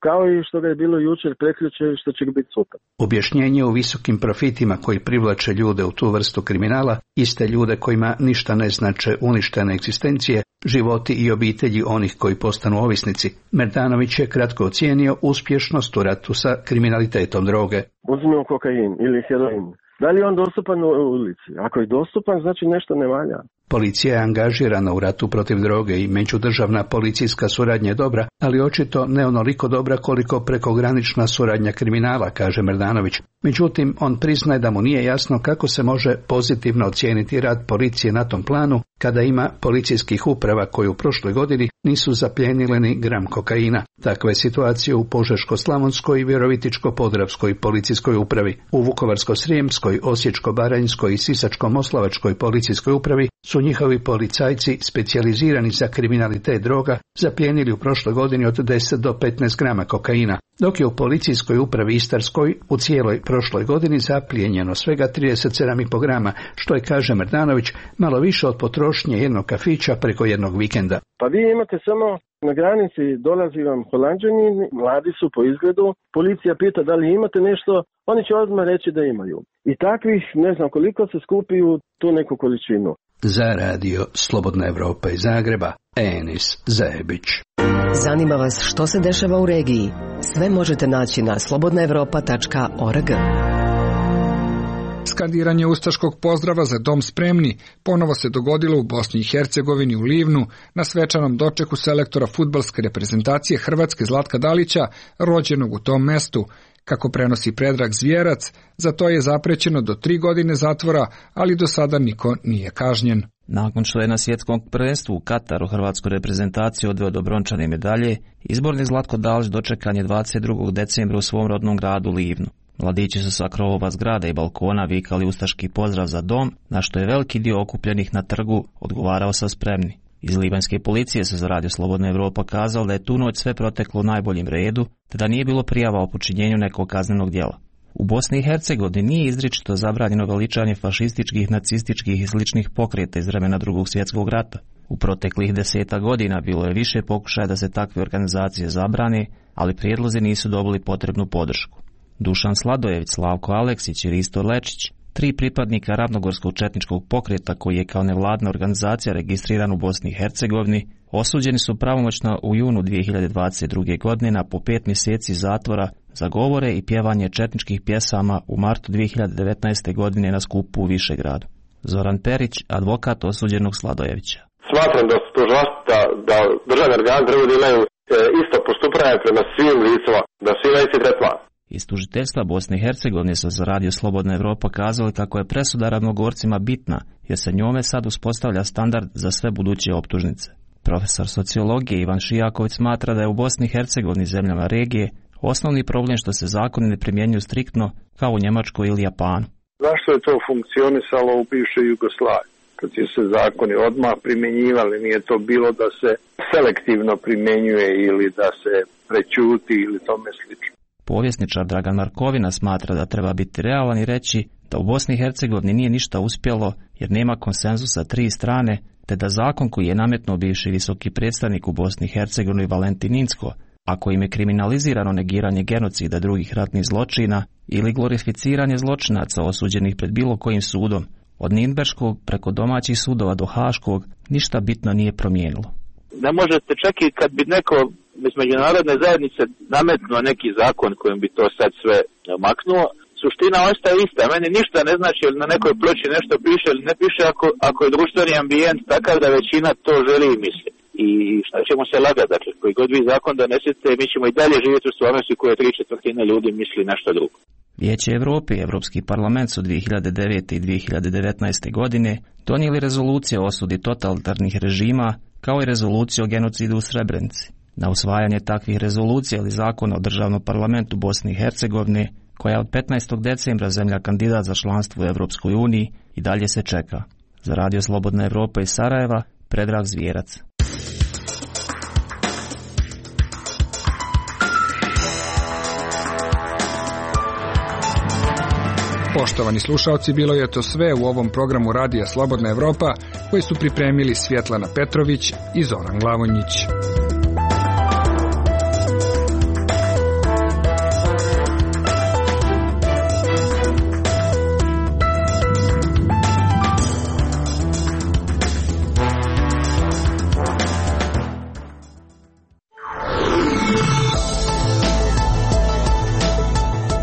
kao i što ga je bilo jučer, prekjučer i što će biti sutra. Objašnjenje o visokim profitima koji privlače ljude u tu vrstu kriminala, iste ljude kojima ništa ne znače uništene egzistencije, životi i obitelji onih koji postanu ovisnici, Merdanović je kratko ocijenio uspješnost u ratu sa kriminalitetom droge. Uzmimo kokain ili heroin. Da li je on dostupan u ulici? Ako je dostupan, znači nešto ne valja. Policija je angažirana u ratu protiv droge i međudržavna policijska suradnja je dobra, ali očito ne onoliko dobra koliko prekogranična suradnja kriminala, kaže Merdanović. Međutim, on priznaje da mu nije jasno kako se može pozitivno ocijeniti rad policije na tom planu kada ima policijskih uprava koji u prošloj godini nisu zapljenile ni gram kokaina. Takva je situacija u Požeško-slavonskoj i Virovitičko-podravskoj policijskoj upravi. U Vukovarsko-srijemskoj, Osječko-baranjskoj i Sisačko-moslavačkoj policijskoj upravi su njihovi policajci specijalizirani za kriminalitet droga zaplijenili u prošloj godini od deset do petnaest grama kokaina, dok je u policijskoj upravi Istarskoj u cijeloj prošloj godini zaplijenjeno svega trideset sedam i po grama, što je, kaže Merdanović, malo više od potrošnje jednog kafića preko jednog vikenda. Pa vi imate samo na granici, dolazi vam Holanđani, mladi su po izgledu, policija pita da li imate nešto, oni će odmah reći da imaju. I takvih, ne znam koliko, se skupi u tu neku količinu. Za radio Slobodna Evropa iz Zagreba, Enis Zajebić. Zanima vas što se dešava u regiji? Sve možete naći na slobodna evropa tačka org. Skandiranje ustaškog pozdrava za dom spremni ponovo se dogodilo u Bosni i Hercegovini u Livnu na svečanom dočeku selektora fudbalske reprezentacije Hrvatske Zlatka Dalića, rođenog u tom mestu. Kako prenosi Predrag Zvjerac, za to je zaprećeno do tri godine zatvora, ali do sada niko nije kažnjen. Nakon što je na svjetskom prvenstvu u Kataru hrvatsku reprezentaciju odveo do brončane medalje, izborni Zlatko Dalić dočekan je dvadeset drugog decembra u svom rodnom gradu Livnu. Mladići su sa krovova zgrada i balkona vikali ustaški pozdrav za dom, na što je veliki dio okupljenih na trgu odgovarao sa spremni. Iz libanjske policije se za radio Slobodna Evropa kazalo da je tu noć sve proteklo u najboljem redu, te da nije bilo prijava o počinjenju nekog kaznenog djela. U Bosni i Hercegovini nije izričito zabranjeno veličanje fašističkih, nacističkih i sličnih pokreta iz vremena Drugog svjetskog rata. U proteklih deseta godina bilo je više pokušaja da se takve organizacije zabrane, ali prijedlozi nisu dobili potrebnu podršku. Dušan Sladojević, Slavko Aleksić i Risto Lečić, tri pripadnika ravnogorskog četničkog pokreta koji je kao nevladna organizacija registriran u Bosni i Hercegovini, osuđeni su pravomoćno u junu dvije hiljade dvadeset druge. godine na po pet mjeseci zatvora za govore i pjevanje četničkih pjesama u martu dvije hiljade devetnaeste. godine na skupu u Višegradu. Zoran Perić, advokat osuđenog Sladojevića. Smatram da su to žasta, da državni organi trebaju da imaju isto postupanje prema svim licima, da svi imaju isti tretman. Iz tužiteljstva Bosne i Hercegovine su za radio Slobodna Evropa kazali kako je presuda ravnogorcima bitna, jer se njome sad uspostavlja standard za sve buduće optužnice. Profesor sociologije Ivan Šijaković smatra da je u Bosni i Hercegovini zemljama regije osnovni problem što se zakoni ne primjenjuju striktno kao u Njemačkoj ili Japanu. Zašto je to funkcionisalo u bivšoj Jugoslaviji? Kad su se zakoni odmah primjenjivali, nije to bilo da se selektivno primjenjuje ili da se prećuti ili tome slično. Povjesničar Dragan Markovina smatra da treba biti realan i reći da u Bosni i Hercegovini nije ništa uspjelo jer nema konsenzusa tri strane, te da zakon koji je nametnuo bivši visoki predstavnik u Bosni i Hercegovini Valentin Inzko, a kojim je kriminalizirano negiranje genocida drugih ratnih zločina ili glorificiranje zločinaca osuđenih pred bilo kojim sudom, od Nirnberškog preko domaćih sudova do Haškog, ništa bitno nije promijenilo. Ne možete čak i kad bi neko bez međunarodne zajednice nametnuo neki zakon kojim bi to sad sve maknuo, suština ostaje ista. Meni ništa ne znači ili na nekoj ploči nešto piše ili ne piše ako, ako je društveni ambijent takav da većina to želi i misli. I šta ćemo se lagati, dakle, koji god vi zakon donesete, mi ćemo i dalje živjeti u stvarnosti koje tri četvrtine ljudi misli nešto drugo. Vijeće Evrope i Evropski parlament su dvije hiljade devete. i dvije hiljade devetnaeste. godine donijeli rezolucije o osudi totalitarnih režima kao i rezoluciju o genocidu u Srebrenici. Na usvajanje takvih rezolucija ili zakona o državnom parlamentu Bosne i Hercegovine, koja je od petnaestog decembra zemlja kandidat za članstvo u Evropskoj uniji, i dalje se čeka. Za radio Slobodna Evropa iz Sarajeva, Predrag Zvjerac. Poštovani slušaoci, bilo je to sve u ovom programu Radija Slobodna Evropa, koji su pripremili Svjetlana Petrović i Zoran Glavonjić.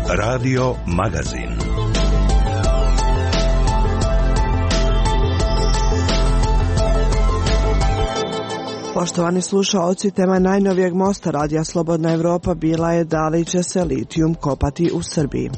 Radio Magazin. Poštovani slušaoci, tema najnovijeg mosta Radija Slobodna Evropa bila je da li će se litijum kopati u Srbiji.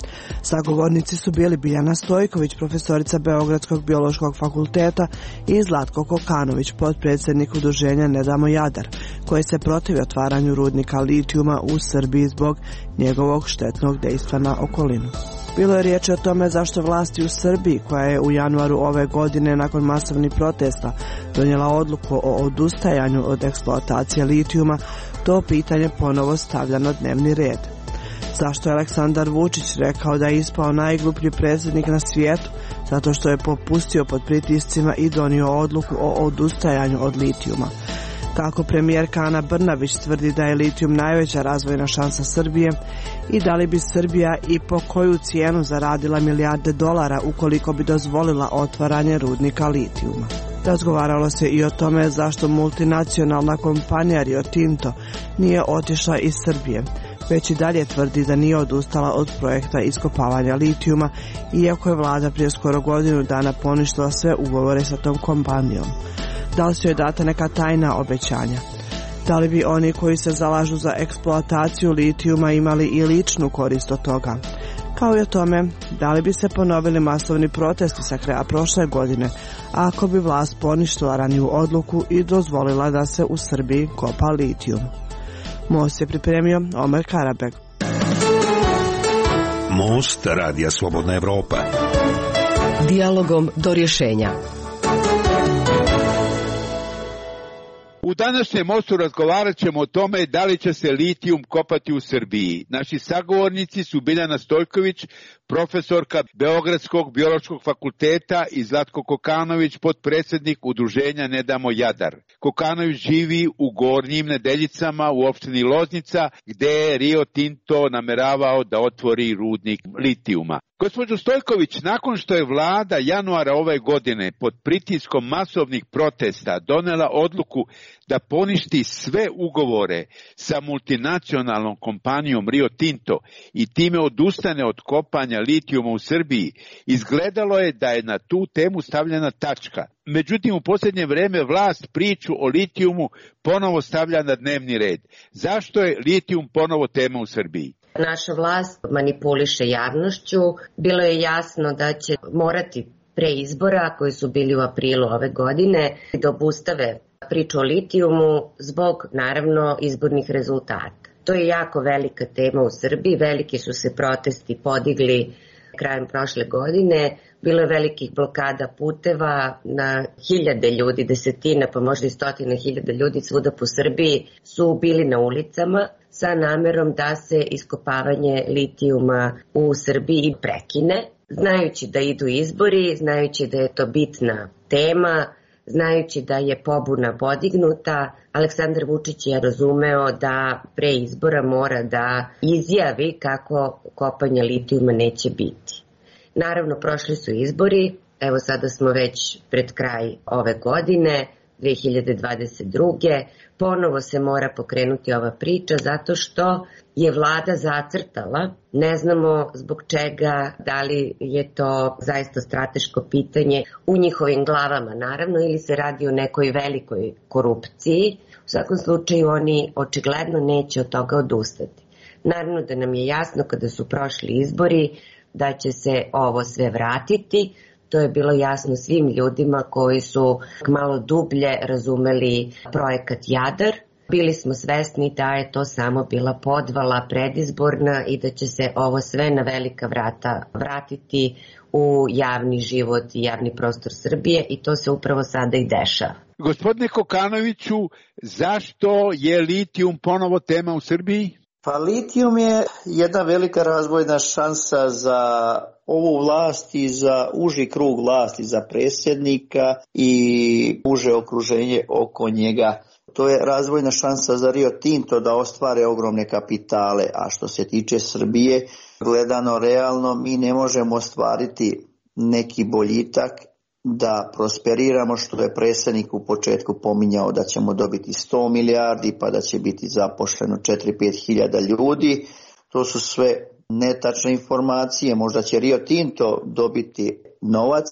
Sagovornici su bili Biljana Stojković, profesorica Beogradskog biološkog fakulteta, i Zlatko Kokanović, potpredsjednik udruženja Ne damo Jadar, koji se protivi otvaranju rudnika litijuma u Srbiji zbog njegovog štetnog dejstva na okolinu. Bilo je riječ o tome zašto vlasti u Srbiji, koja je u januaru ove godine nakon masovnih protesta donijela odluku o odustajanju od eksploatacije litijuma, to pitanje ponovo stavlja na dnevni red. Zašto je Aleksandar Vučić rekao da je ispao najgluplji predsjednik na svijetu, zato što je popustio pod pritiscima i donio odluku o odustajanju od litijuma. Kako premijerka Ana Brnabić tvrdi da je litijum najveća razvojna šansa Srbije i da li bi Srbija i po koju cijenu zaradila milijarde dolara ukoliko bi dozvolila otvaranje rudnika litijuma. Razgovaralo se i o tome zašto multinacionalna kompanija Rio Tinto nije otišla iz Srbije, već i dalje tvrdi da nije odustala od projekta iskopavanja litijuma, iako je vlada prije skoro godinu dana poništila sve ugovore sa tom kompanijom. Da li su joj data neka tajna obećanja? Da li bi oni koji se zalažu za eksploataciju litijuma imali i ličnu korist od toga? Kao i o tome, da li bi se ponovili masovni protesti sa kraja prošle godine, ako bi vlast poništila raniju odluku i dozvolila da se u Srbiji kopa litijum? Most je pripremio Omer Karabeg. Most Radija Slobodna Evropa. Dijalogom do rješenja. U današnjem mostu razgovarat ćemo o tome da li će se litijum kopati u Srbiji. Naši sagovornici su Biljana Stojković, profesorka Beogradskog biološkog fakulteta, i Zlatko Kokanović, potpredsjednik udruženja Ne damo Jadar. Kokanović živi u Gornjim Nedeljicama u opštini Loznica, gde je Rio Tinto nameravao da otvori rudnik litijuma. Gospođo Stojković, nakon što je vlada januara ove godine pod pritiskom masovnih protesta donela odluku da poništi sve ugovore sa multinacionalnom kompanijom Rio Tinto i time odustane od kopanja litijuma u Srbiji, izgledalo je da je na tu temu stavljena tačka. Međutim, u posljednje vrijeme vlast priču o litijumu ponovo stavlja na dnevni red. Zašto je litijum ponovo tema u Srbiji? Naša vlast manipuliše javnošću. Bilo je jasno da će morati pre izbora, koji su bili u aprilu ove godine, da obustave priču o litijumu zbog, naravno, izbornih rezultata. To je jako velika tema u Srbiji. Veliki su se protesti podigli krajem prošle godine. Bilo je velikih blokada puteva, na hiljade ljudi, desetine, pa možda i stotine hiljada ljudi svuda po Srbiji su bili na ulicama sa namerom da se iskopavanje litijuma u Srbiji prekine. Znajući da idu izbori, znajući da je to bitna tema, znajući da je pobuna podignuta, Aleksandar Vučić je razumeo da pre izbora mora da izjavi kako kopanje litijuma neće biti. Naravno, prošli su izbori, evo sada smo već pred kraj ove godine, dve hiljade dvadeset druge. Ponovo se mora pokrenuti ova priča zato što je vlada zacrtala, ne znamo zbog čega, da li je to zaista strateško pitanje u njihovim glavama naravno ili se radi o nekoj velikoj korupciji. U svakom slučaju oni očigledno neće od toga odustati. Naravno da nam je jasno kada su prošli izbori da će se ovo sve vratiti. To je bilo jasno svim ljudima koji su malo dublje razumeli projekat Jadar. Bili smo svesni da je to samo bila podvala predizborna i da će se ovo sve na velika vrata vratiti u javni život i javni prostor Srbije i to se upravo sada i dešava. Gospodine Kokanoviću, zašto je litijum ponovo tema u Srbiji? Pa litijum je jedna velika razvojna šansa za ovu vlast i za uži krug vlasti, za predsjednika i uže okruženje oko njega. To je razvojna šansa za Rio Tinto da ostvare ogromne kapitale, a što se tiče Srbije, gledano realno, mi ne možemo ostvariti neki boljitak da prosperiramo, što je predsjednik u početku pominjao da ćemo dobiti sto milijardi, pa da će biti zaposleno četiri do pet hiljada ljudi. To su sve netačne informacije. Možda će Rio Tinto dobiti novac,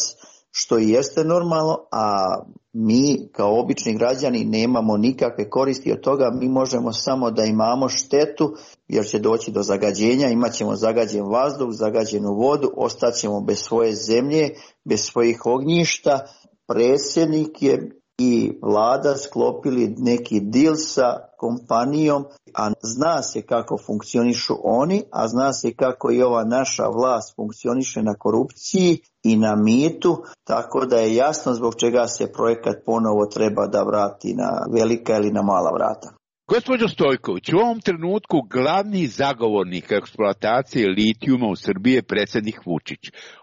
što i jeste normalno, a mi kao obični građani nemamo nikakve koristi od toga. Mi možemo samo da imamo štetu, jer će doći do zagađenja, imat ćemo zagađen vazduh, zagađenu vodu, ostaćemo bez svoje zemlje, bez svojih ognjišta. Predsjednik je i vlada sklopili neki deal sa kompanijom, a zna se kako funkcionišu oni, a zna se kako i ova naša vlast funkcioniše na korupciji i na mitu, tako da je jasno zbog čega se projekat ponovo treba da vrati na velika ili na mala vrata. Gospođo Stojković, u ovom trenutku glavni zagovornik eksploatacije litijuma u Srbiji je predsjednik Vučić.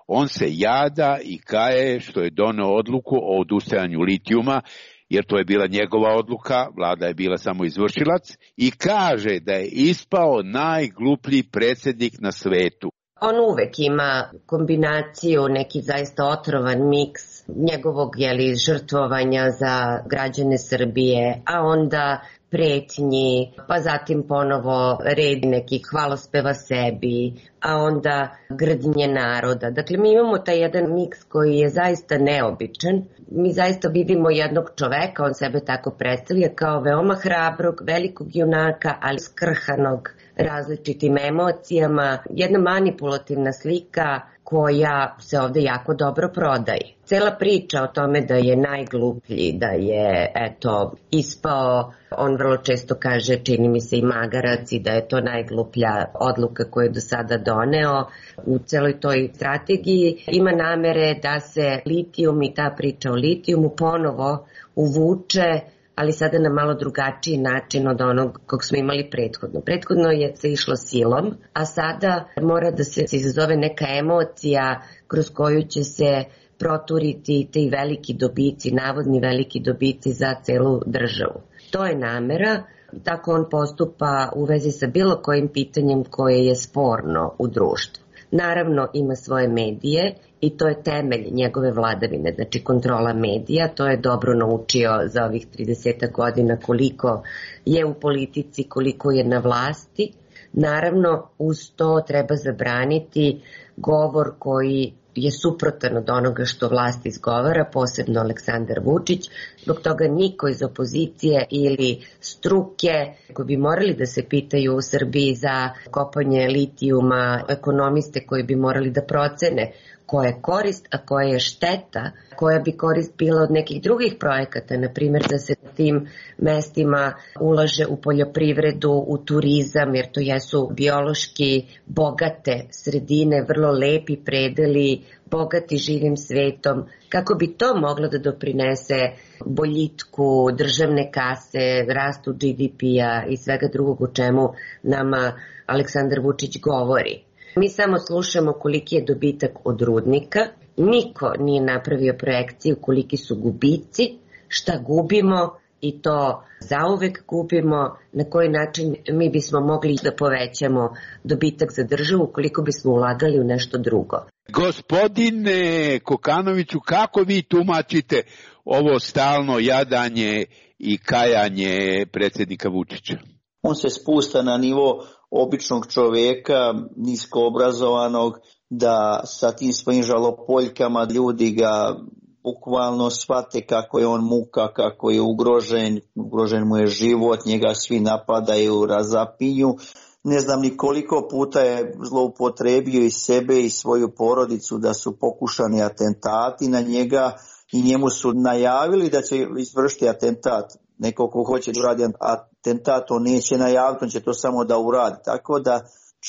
On se jada i kaje što je doneo odluku o odustajanju litijuma, jer to je bila njegova odluka, vlada je bila samo izvršilac, i kaže da je ispao najgluplji predsjednik na svetu. On uvek ima kombinaciju, neki zaista otrovan miks njegovog jeli, žrtvovanja za građane Srbije, a onda pretnji, pa zatim ponovo red nekih hvalospeva sebi, a onda grdnje naroda. Dakle, mi imamo taj jedan miks koji je zaista neobičan. Mi zaista vidimo jednog čoveka, on sebe tako predstavlja, kao veoma hrabrog, velikog junaka, ali skrhanog različitim emocijama. Jedna manipulativna slika koja se ovde jako dobro prodaje. Cela priča o tome da je najgluplji, da je eto ispao, on vrlo često kaže, čini mi se i magarac, i da je to najgluplja odluka koju je do sada doneo. U celoj toj strategiji ima namere da se litijum i ta priča o litijumu ponovo uvuče, ali sada na malo drugačiji način od onog kog smo imali prethodno. Prethodno je se išlo silom, a sada mora da se izazove neka emocija kroz koju će se proturiti ti veliki dobici, navodni veliki dobici za celu državu. To je namera, tako on postupa u vezi sa bilo kojim pitanjem koje je sporno u društvu. Naravno ima svoje medije i to je temelj njegove vladavine, znači kontrola medija, to je dobro naučio za ovih trideset godina koliko je u politici, koliko je na vlasti. Naravno uz to treba zabraniti govor koji je suprotan od onoga što vlast izgovara, posebno Aleksandar Vučić. Zbog toga niko iz opozicije ili struke koji bi morali da se pitaju u Srbiji za kopanje litijuma, ekonomiste koji bi morali da procene koja je korist, a koja je šteta, koja bi korist bila od nekih drugih projekata, na primjer da se na tim mestima ulaže u poljoprivredu, u turizam, jer to jesu biološki bogate sredine, vrlo lepi predeli, bogati živim svetom, kako bi to moglo da doprinese boljitku državne kase, rastu G D P-a i svega drugog o čemu nama Aleksandar Vučić govori. Mi samo slušamo koliki je dobitak od rudnika, niko nije napravio projekciju koliki su gubici, šta gubimo i to zauvek gubimo, na koji način mi bismo mogli da povećamo dobitak za državu koliko bismo ulagali u nešto drugo. Gospodine Kokanoviću, kako vi tumačite ovo stalno jadanje i kajanje predsjednika Vučića? On se spušta na nivo običnog čovjeka, nisko obrazovanog, da sa tim svojim žalopoljkama ljudi ga bukvalno shvate kako je on muka, kako je ugrožen, ugrožen mu je život, njega svi napadaju, razapinju. Ne znam ni koliko puta je zloupotrebio i sebe i svoju porodicu da su pokušani atentati na njega i njemu su najavili da će izvršiti atentat. Neko ko hoće da uradi atentat, on neće najaviti, on će to samo da uradi. Tako da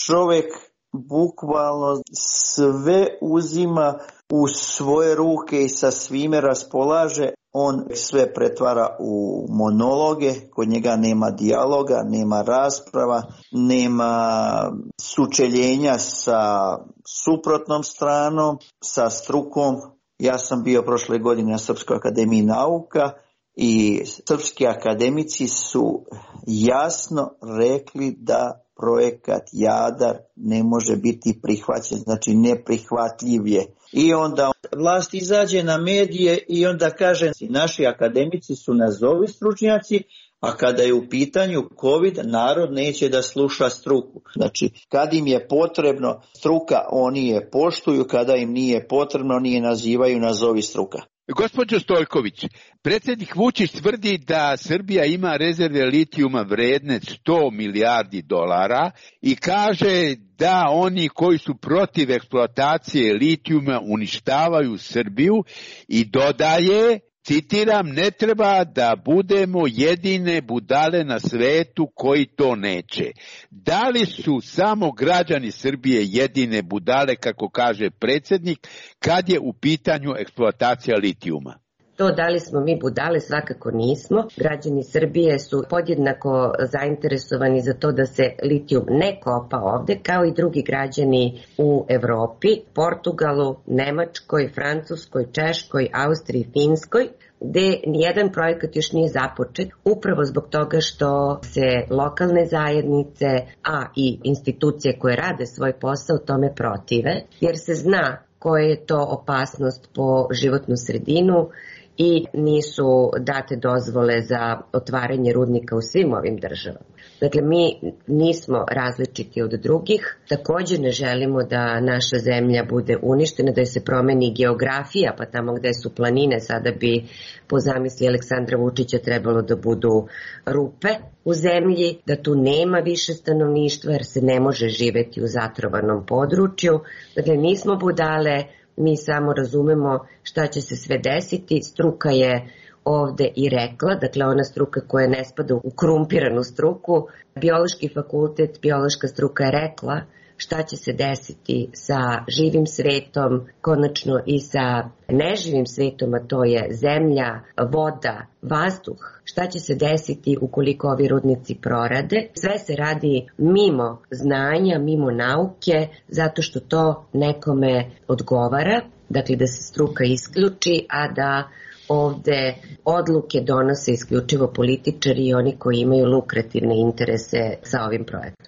čovjek bukvalno sve uzima u svoje ruke i sa svime raspolaže, on sve pretvara u monologe, kod njega nema dijaloga, nema rasprava, nema sučeljenja sa suprotnom stranom, sa strukom. Ja sam bio prošle godine na Srpskoj akademiji nauka i srpski akademici su jasno rekli da projekat Jadar ne može biti prihvaćen, znači neprihvatljiv je. I onda vlast izađe na medije i onda kaže naši akademici su nazovi stručnjaci, a kada je u pitanju COVID, narod neće da sluša struku. Znači, kad im je potrebno struka, oni je poštuju, kada im nije potrebno, oni je nazivaju nazovi struka. Gospođo Stojković, predsjednik Vučić tvrdi da Srbija ima rezerve litijuma vredne sto milijardi dolara i kaže da oni koji su protiv eksploatacije litijuma uništavaju Srbiju i dodaje, citiram, ne treba da budemo jedine budale na svetu koji to neće. Da li su samo građani Srbije jedine budale, kako kaže predsjednik, kad je u pitanju eksploatacija litijuma? To da li smo mi budale, svakako nismo. Građani Srbije su podjednako zainteresovani za to da se litijum ne kopa ovde, kao i drugi građani u Evropi, Portugalu, Nemačkoj, Francuskoj, Češkoj, Austriji, Finskoj, gde nijedan projekat još nije započet, upravo zbog toga što se lokalne zajednice, a i institucije koje rade svoj posao tome protive, jer se zna koja je to opasnost po životnu sredinu i nisu date dozvole za otvaranje rudnika u svim ovim državama. Dakle, mi nismo različiti od drugih, također ne želimo da naša zemlja bude uništena, da se promeni geografija, pa tamo gde su planine sada bi po zamisli Aleksandra Vučića trebalo da budu rupe u zemlji, da tu nema više stanovništva jer se ne može živeti u zatrovanom području. Dakle, nismo budale, mi samo razumemo šta će se sve desiti. Struka je ovde i rekla, dakle ona struka koja ne spada u korumpiranu struku, biološki fakultet, biološka struka je rekla šta će se desiti sa živim svetom, konačno i sa neživim svetom, a to je zemlja, voda, vazduh, šta će se desiti ukoliko ovi rudnici prorade. Sve se radi mimo znanja, mimo nauke, zato što to nekome odgovara, dakle da se struka isključi, a da ovde odluke donose isključivo političari i oni koji imaju lukrativne interese sa ovim projektom.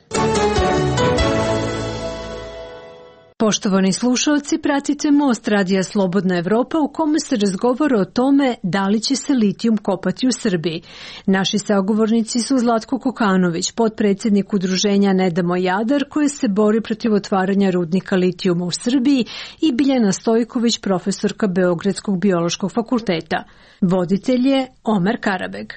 Poštovani slušalci, pratite Most Radija Slobodna Evropa u kome se razgovara o tome da li će se litijum kopati u Srbiji. Naši sagovornici su Zlatko Kokanović, potpredsjednik udruženja Ne damo Jadar, koje se bori protiv otvaranja rudnika litijuma u Srbiji, i Biljana Stojković, profesorka Beogradskog biološkog fakulteta. Voditelj je Omer Karabeg.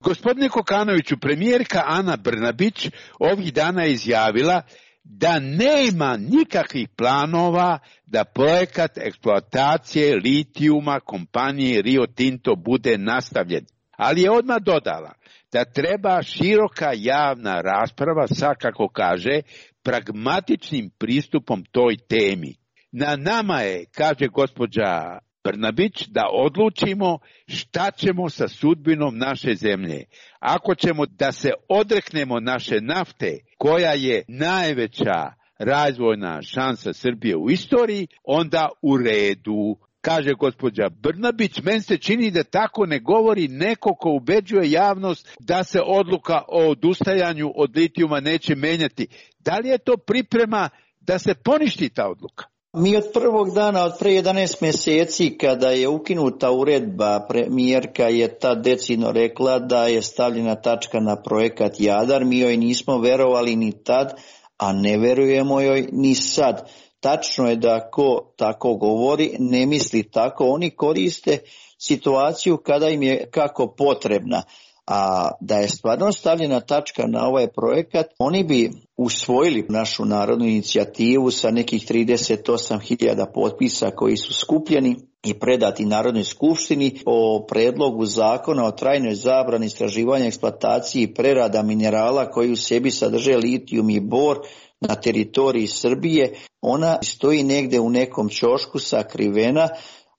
Gospodine Kokanoviću, premijerka Ana Brnabić ovih dana je izjavila da nema nikakvih planova da projekat eksploatacije litijuma kompanije Rio Tinto bude nastavljen. Ali je odmah dodala da treba široka javna rasprava sa, kako kaže, pragmatičnim pristupom toj temi. Na nama je, kaže gospođa Brnabić, da odlučimo šta ćemo sa sudbinom naše zemlje. Ako ćemo da se odreknemo naše nafte, koja je najveća razvojna šansa Srbije u istoriji, onda u redu. Kaže gospođa Brnabić, meni se čini da tako ne govori neko ko ubeđuje javnost da se odluka o odustajanju od litijuma neće menjati. Da li je to priprema da se poništi ta odluka? Mi od prvog dana, od pre jedanaest mjeseci, kada je ukinuta uredba, premijerka je tad decidno rekla da je stavljena tačka na projekat Jadar. Mi joj nismo verovali ni tad, a ne verujemo joj ni sad. Tačno je da ko tako govori ne misli tako. Oni koriste situaciju kada im je kako potrebna. A da je stvarno stavljena tačka na ovaj projekat, oni bi usvojili našu narodnu inicijativu sa nekih trideset osam hiljada potpisa koji su skupljeni i predati Narodnoj skupštini o predlogu zakona o trajnoj zabrani istraživanja, eksploataciji i prerada minerala koji u sebi sadrže litijum i bor, na teritoriji Srbije, ona stoji negde u nekom ćošku sakrivena.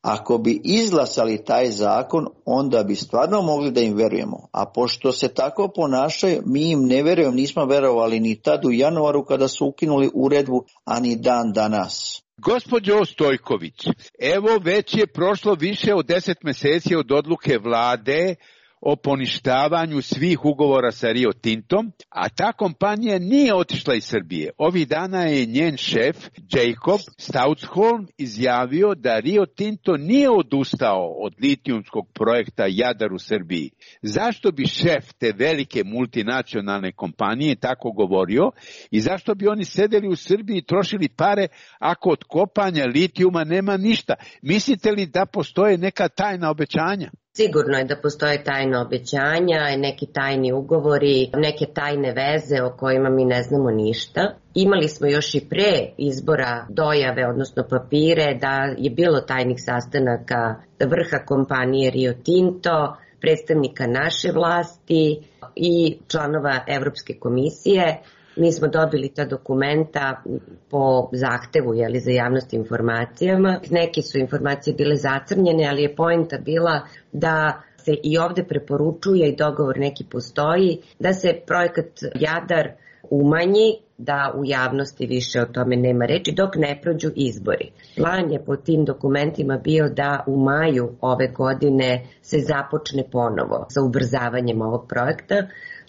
Ako bi izglasali taj zakon, onda bi stvarno mogli da im verujemo. A pošto se tako ponašaju, mi im ne verujemo, nismo verovali ni tad u januaru kada su ukinuli uredbu, a ni dan danas. Gospođo Stojković, evo već je prošlo više od deset meseci od odluke vlade o poništavanju svih ugovora sa Rio Tintom, a ta kompanija nije otišla iz Srbije. Ovih dana je njen šef, Jacob Stoutsholm, izjavio da Rio Tinto nije odustao od litijumskog projekta Jadar u Srbiji. Zašto bi šef te velike multinacionalne kompanije tako govorio i zašto bi oni sedeli u Srbiji i trošili pare ako od kopanja litijuma nema ništa? Mislite li da postoje neka tajna obećanja? Sigurno je da postoje tajna obećanja, neki tajni ugovori, neke tajne veze o kojima mi ne znamo ništa. Imali smo još i pre izbora dojave, odnosno papire, da je bilo tajnih sastanaka vrha kompanije Rio Tinto, predstavnika naše vlasti i članova Evropske komisije. Mi smo dobili ta dokumenta po zahtevu jeli, za javnost informacijama. Neke su informacije bile zacrnjene, ali je poenta bila da se i ovde preporučuje i dogovor neki postoji, da se projekat Jadar umanji, da u javnosti više o tome nema reči, dok ne prođu izbori. Plan je po tim dokumentima bio da u maju ove godine se započne ponovo sa ubrzavanjem ovog projekta.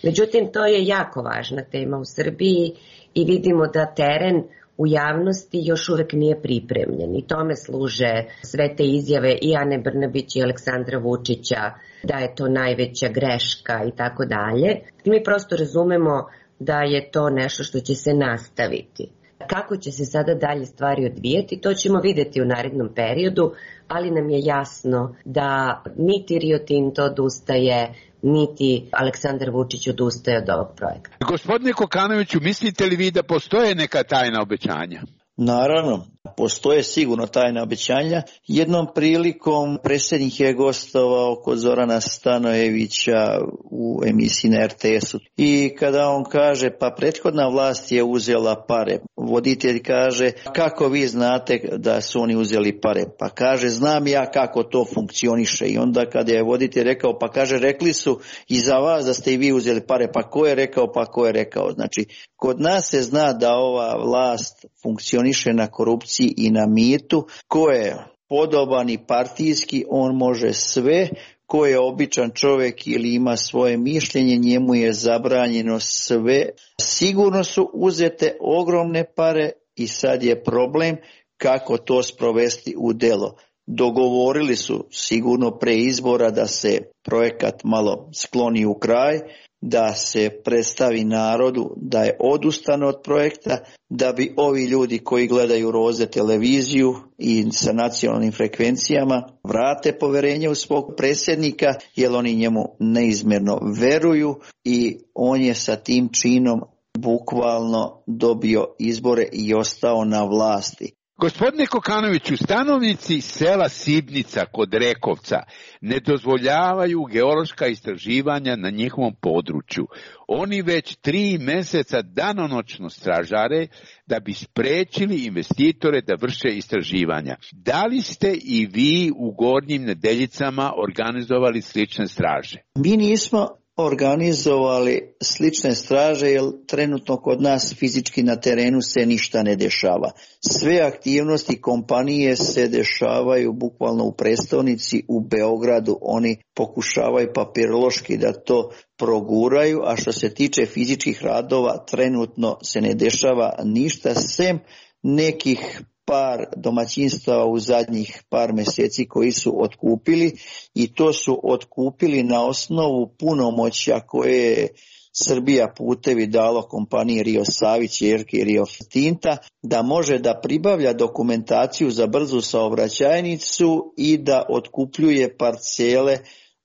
Međutim, to je jako važna tema u Srbiji i vidimo da teren u javnosti još uvek nije pripremljen i tome služe sve te izjave i Ane Brnabić i Aleksandra Vučića da je to najveća greška i tako dalje. Mi prosto razumemo da je to nešto što će se nastaviti. Kako će se sada dalje stvari odvijeti, to ćemo videti u narednom periodu, ali nam je jasno da niti Rio Tinto odustaje, niti Aleksandar Vučić odustaje od ovog projekta. Gospodine Kokanoviću, mislite li vi da postoje neka tajna obećanja? Naravno, postoje sigurno tajna obećanja. Jednom prilikom predsjednik je gostovao kod Zorana Stanojevića u emisiji na er te esu i kada on kaže pa prethodna vlast je uzela pare, voditelj kaže kako vi znate da su oni uzeli pare, pa kaže znam ja kako to funkcioniše i onda kada je voditelj rekao pa kaže rekli su i za vas da ste i vi uzeli pare, pa ko je rekao, pa ko je rekao. Znači kod nas se zna da ova vlast funkcioniše na korupciji i na mitu. Ko je podoban i partijski, on može sve. Ko je običan čovjek ili ima svoje mišljenje, njemu je zabranjeno sve. Sigurno su uzete ogromne pare i sad je problem kako to sprovesti u delo. Dogovorili su sigurno pre izbora da se projekat malo skloni u kraj, da se predstavi narodu da je odustano od projekta, da bi ovi ljudi koji gledaju Roze televiziju i sa nacionalnim frekvencijama vrate poverenje u svog predsjednika, jer oni njemu neizmjerno veruju i on je sa tim činom bukvalno dobio izbore i ostao na vlasti. Gospodine Kokanoviću, stanovnici sela Sibnica kod Rekovca ne dozvoljavaju geološka istraživanja na njihovom području. Oni već tri meseca danonoćno stražare da bi sprečili investitore da vrše istraživanja. Da li ste i vi u Gornjim Nedeljicama organizovali slične straže? Mi nismo organizovali slične straže jer trenutno kod nas fizički na terenu se ništa ne dešava. Sve aktivnosti kompanije se dešavaju bukvalno u prestonici, u Beogradu. Oni pokušavaju papirološki da to proguraju, a što se tiče fizičkih radova trenutno se ne dešava ništa sem nekih par domaćinstava u zadnjih par mjeseci koji su otkupili i to su otkupili na osnovu punomoćja koje je Srbija putevi dalo kompaniji Rio Savić, ćerki Rio Tinta, da može da pribavlja dokumentaciju za brzu saobraćajnicu i da otkupljuje parcele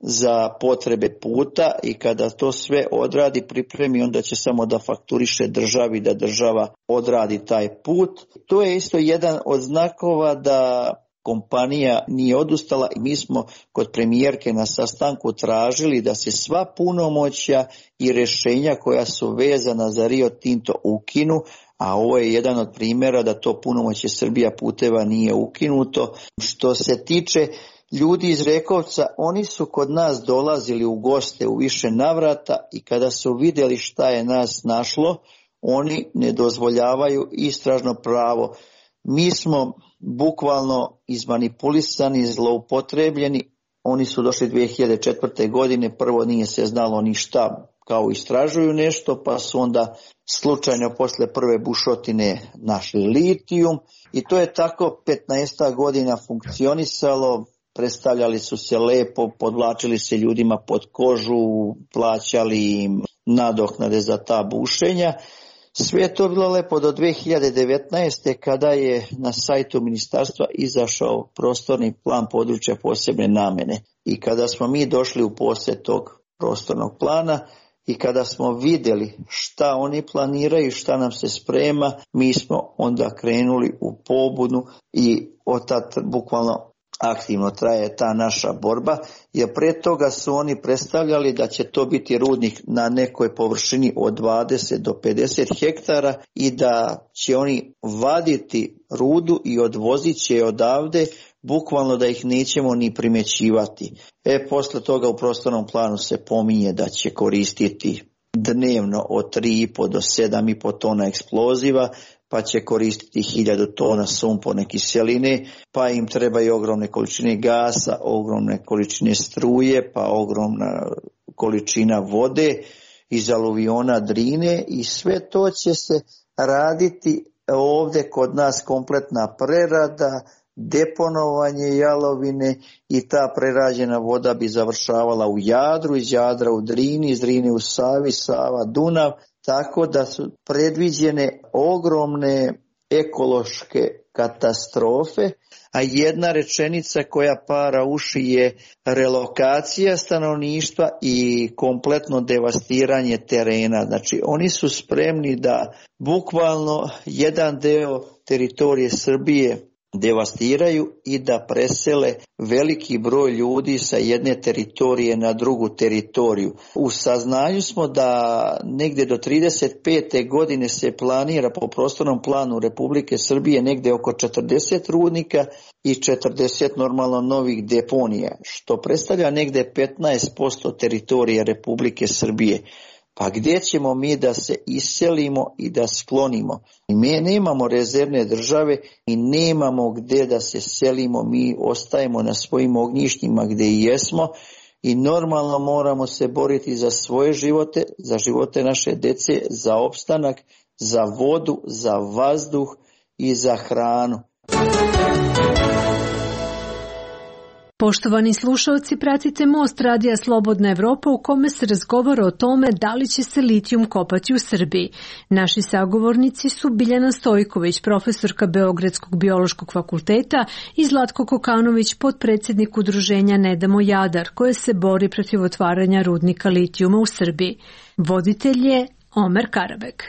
za potrebe puta i kada to sve odradi, pripremi, onda će samo da fakturiše državi da država odradi taj put. To je isto jedan od znakova da kompanija nije odustala i mi smo kod premijerke na sastanku tražili da se sva punomoćja i rješenja koja su vezana za Rio Tinto ukinu, a ovo je jedan od primjera da to punomoćje Srbija puteva nije ukinuto. Što se tiče ljudi iz Rekovca, oni su kod nas dolazili u goste u više navrata i kada su vidjeli šta je nas našlo, oni ne dozvoljavaju istražno pravo. Mi smo bukvalno izmanipulisani, zloupotrebljeni. Oni su došli dvije hiljade četvrte. godine, prvo nije se znalo ništa, kao istražuju nešto, pa su onda slučajno posle prve bušotine našli litijum i to je tako petnaest godina funkcionisalo. Predstavljali su se lepo, podvlačili se ljudima pod kožu, plaćali im nadoknade za ta bušenja. Sve je to bilo lepo do dvije hiljade devetnaeste. kada je na sajtu ministarstva izašao prostorni plan područja posebne namjene. I kada smo mi došli u posjed tog prostornog plana i kada smo vidjeli šta oni planiraju, šta nam se sprema, mi smo onda krenuli u pobunu i od tada bukvalno aktivno traje ta naša borba, jer pre toga su oni predstavljali da će to biti rudnik na nekoj površini od dvadeset do pedeset hektara i da će oni vaditi rudu i odvozit će je odavde, bukvalno da ih nećemo ni primjećivati. E, posle toga u prostornom planu se pominje da će koristiti dnevno od tri i po do sedam i po tona eksploziva, pa će koristiti hiljadu tona sumporne kiseline, pa im trebaju ogromne količine gasa, ogromne količine struje, pa ogromna količina vode iz aluviona Drine i sve to će se raditi ovdje kod nas, kompletna prerada, deponovanje jalovine i ta prerađena voda bi završavala u Jadru, iz Jadra u Drini, iz Drine u Savi, Sava, Dunav, tako da su predviđene ogromne ekološke katastrofe, a jedna rečenica koja para uši je relokacija stanovništva i kompletno devastiranje terena. Znači oni su spremni da bukvalno jedan deo teritorije Srbije devastiraju i da presele veliki broj ljudi sa jedne teritorije na drugu teritoriju. U saznanju smo da negdje do trideset pete. godine se planira po prostornom planu Republike Srbije negdje oko četrdeset rudnika i četrdeset normalno novih deponija, što predstavlja negdje petnaest posto teritorije Republike Srbije. Pa gdje ćemo mi da se iselimo i da sklonimo? Mi nemamo rezervne države i nemamo gdje da se selimo, mi ostajemo na svojim ognjištima gdje i jesmo i normalno moramo se boriti za svoje živote, za živote naše dece, za opstanak, za vodu, za vazduh i za hranu. Poštovani slušalci, pratite Most radija Slobodna Evropa u kome se razgovara o tome da li će se litijum kopati u Srbiji. Naši sagovornici su Biljana Stojković, profesorka Beogradskog biološkog fakulteta i Zlatko Kokanović, potpredsjednik udruženja Ne damo Jadar, koje se bori protiv otvaranja rudnika litijuma u Srbiji. Voditelj je Omer Karabek.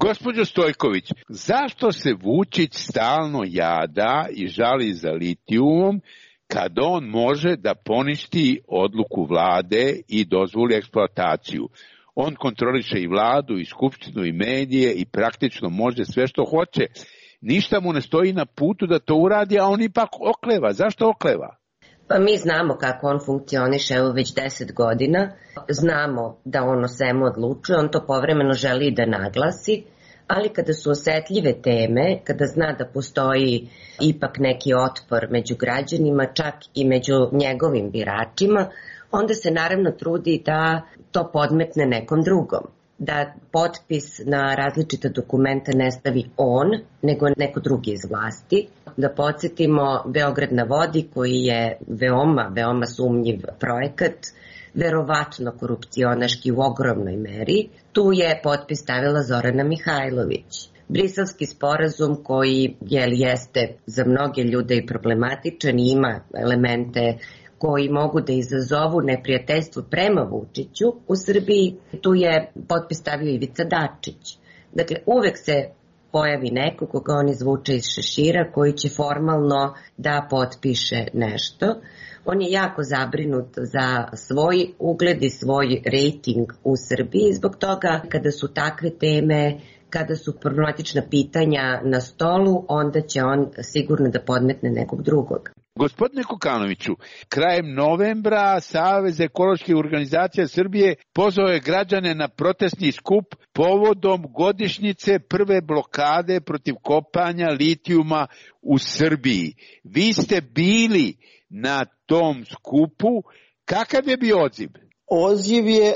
Gospođo Stojković, zašto se Vučić stalno jada i žali za litijumom kad on može da poništi odluku vlade i dozvoli eksploataciju? On kontroliše i vladu, i skupštinu, i medije i praktično može sve što hoće. Ništa mu ne stoji na putu da to uradi, a on ipak okleva. Zašto okleva? Pa mi znamo kako on funkcioniše evo već deset godina, znamo da on o svemu odlučuje, on to povremeno želi i da naglasi, ali kada su osetljive teme, kada zna da postoji ipak neki otpor među građanima, čak i među njegovim biračima, onda se naravno trudi da to podmetne nekom drugom. Da potpis na različita dokumenta ne stavi on, nego neko drugi iz vlasti. Da podsjetimo Beograd na vodi, koji je veoma, veoma sumnjiv projekat, verovatno korupcionaški u ogromnoj meri. Tu je potpis stavila Zorana Mihajlović. Briselski sporazum koji je, jeste za mnoge ljude i problematičan i ima elemente koji mogu da izazovu neprijateljstvo prema Vučiću u Srbiji, tu je potpis stavio Ivica Dačić. Dakle, uvek se pojavi neko koga on izvuče iz šešira koji će formalno da potpiše nešto. On je jako zabrinut za svoj ugled i svoj rejting u Srbiji, zbog toga kada su takve teme, kada su problematična pitanja na stolu, onda će on sigurno da podmetne nekog drugog. Gospodine Kokanoviću, krajem novembra Savez ekoloških organizacija Srbije pozvao je građane na protestni skup povodom godišnjice prve blokade protiv kopanja litijuma u Srbiji. Vi ste bili na tom skupu. Kakav je bio odziv? Odziv je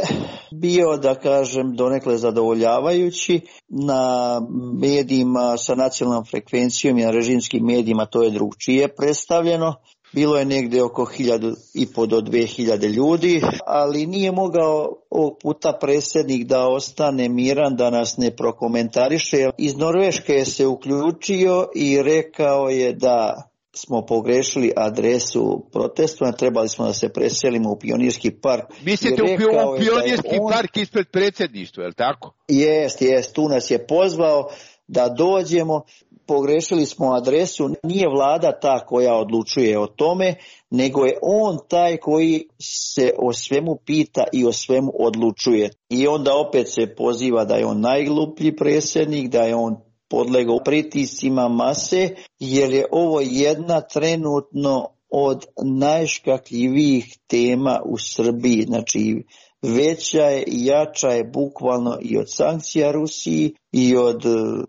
bio, da kažem, donekle zadovoljavajući. Na medijima sa nacionalnom frekvencijom i na režimskim medijima to je drugčije predstavljeno. Bilo je negde oko hiljadu i po do dve hiljade ljudi, ali nije mogao ovog puta predsjednik da ostane miran, da nas ne prokomentariše. Iz Norveške je se uključio i rekao je da smo pogrešili adresu protestu, trebali smo da se preselimo u Pionirski park. Mislite u Pionirski on... park ispred predsjedništva, je li tako? Jest, jest, tu nas je pozvao da dođemo, pogrešili smo adresu, nije vlada ta koja odlučuje o tome, nego je on taj koji se o svemu pita i o svemu odlučuje. I onda opet se poziva da je on najgluplji predsjednik, da je on podlegao pritiscima mase, jer je ovo jedna trenutno od najškakljivijih tema u Srbiji. Znači, veća je i jača je bukvalno i od sankcija Rusiji i od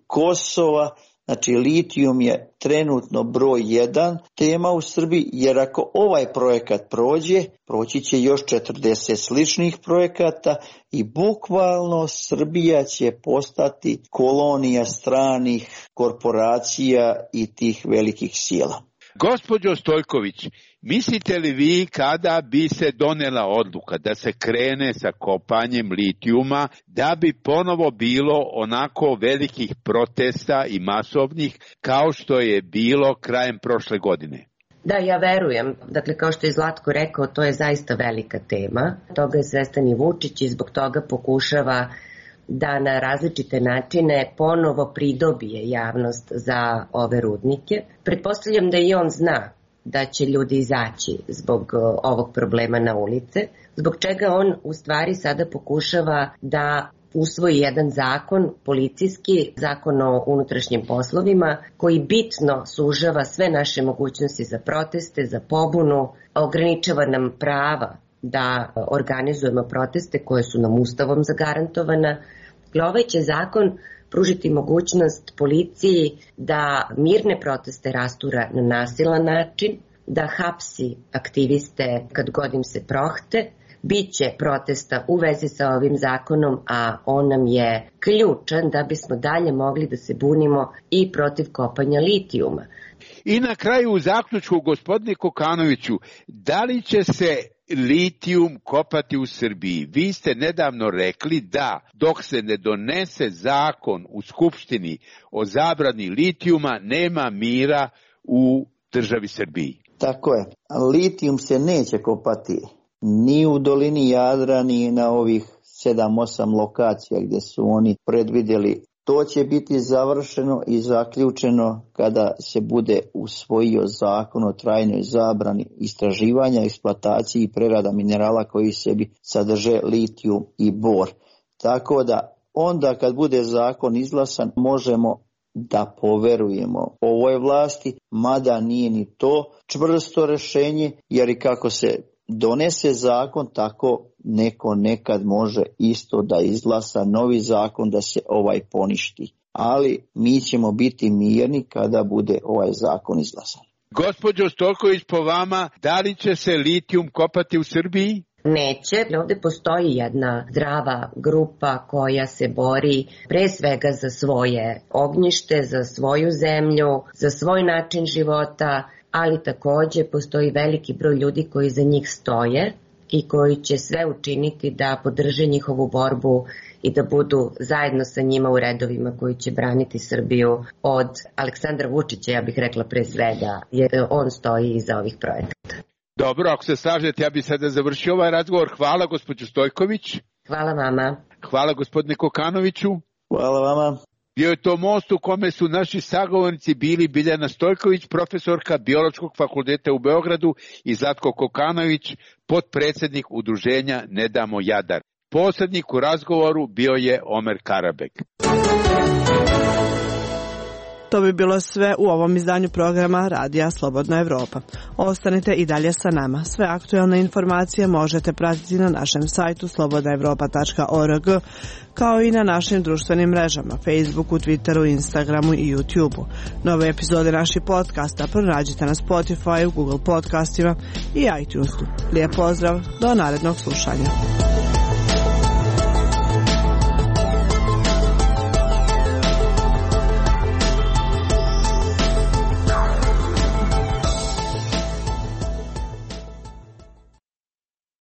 Kosova. Znači, litijum je trenutno broj jedan tema u Srbiji, jer ako ovaj projekat prođe, proći će još četrdeset sličnih projekata i bukvalno Srbija će postati kolonija stranih korporacija i tih velikih sila. Gospođo Stojković, mislite li vi kada bi se donela odluka da se krene sa kopanjem litijuma, da bi ponovo bilo onako velikih protesta i masovnih kao što je bilo krajem prošle godine? Da, ja verujem. Dakle, kao što je Zlatko rekao, to je zaista velika tema. Toga je svestan i Vučić i zbog toga pokušava da na različite načine ponovo pridobije javnost za ove rudnike. Pretpostavljam da i on zna da će ljudi izaći zbog ovog problema na ulice, zbog čega on u stvari sada pokušava da usvoji jedan zakon, policijski zakon o unutrašnjim poslovima, koji bitno sužava sve naše mogućnosti za proteste, za pobunu, ograničava nam prava da organizujemo proteste koje su nam ustavom zagarantovana. Ovaj će zakon pružiti mogućnost policiji da mirne proteste rastura na nasilan način, da hapsi aktiviste kad god im se prohte. Biće protesta u vezi sa ovim zakonom, a on nam je ključan da bismo dalje mogli da se bunimo i protiv kopanja litijuma. I na kraju u zaključku, gospodine Kokanoviću, da li će se litijum kopati u Srbiji? Vi ste nedavno rekli da dok se ne donese zakon u Skupštini o zabrani litijuma, nema mira u državi Srbiji. Tako je. Litijum se neće kopati ni u dolini Jadra, ni na ovih sedam osam lokacija gdje su oni predvidjeli. To će biti završeno i zaključeno kada se bude usvojio zakon o trajnoj zabrani istraživanja, eksploataciji i prerada minerala koji sebi sadrže litijum i bor. Tako da onda kad bude zakon izglasan možemo da poverujemo ovoj vlasti, mada nije ni to čvrsto rješenje, jer i kako se donese zakon, tako neko nekad može isto da izglasa novi zakon da se ovaj poništi. Ali mi ćemo biti mirni kada bude ovaj zakon izglasan. Gospođo Stojković, po vama, da li će se litijum kopati u Srbiji? Neće. Ovdje postoji jedna zdrava grupa koja se bori pre svega za svoje ognjište, za svoju zemlju, za svoj način života, ali također postoji veliki broj ljudi koji za njih stoje i koji će sve učiniti da podrže njihovu borbu i da budu zajedno sa njima u redovima koji će braniti Srbiju od Aleksandra Vučića, ja bih rekla pre svega, jer on stoji iza ovih projekata. Dobro, ako se slažete, ja bih sada završio ovaj razgovor. Hvala, gospođo Stojković. Hvala vama. Hvala, gospodine Kokanoviću. Hvala vama. Bio je to most u kome su naši sagovornici bili Biljana Stojković, profesorka Biološkog fakulteta u Beogradu, i Zlatko Kokanović, potpredsjednik udruženja Ne damo Jadar. Posrednik u razgovoru bio je Omer Karabek. To bi bilo sve u ovom izdanju programa Radija Slobodna Evropa. Ostanite i dalje sa nama. Sve aktuelne informacije možete pratiti na našem sajtu slobodna evropa tačka org, kao i na našim društvenim mrežama, Facebooku, Twitteru, Instagramu i YouTubeu. Nove epizode naših podcasta pronađite na Spotify, Google podcastima i iTunesu. Lijep pozdrav, do narednog slušanja.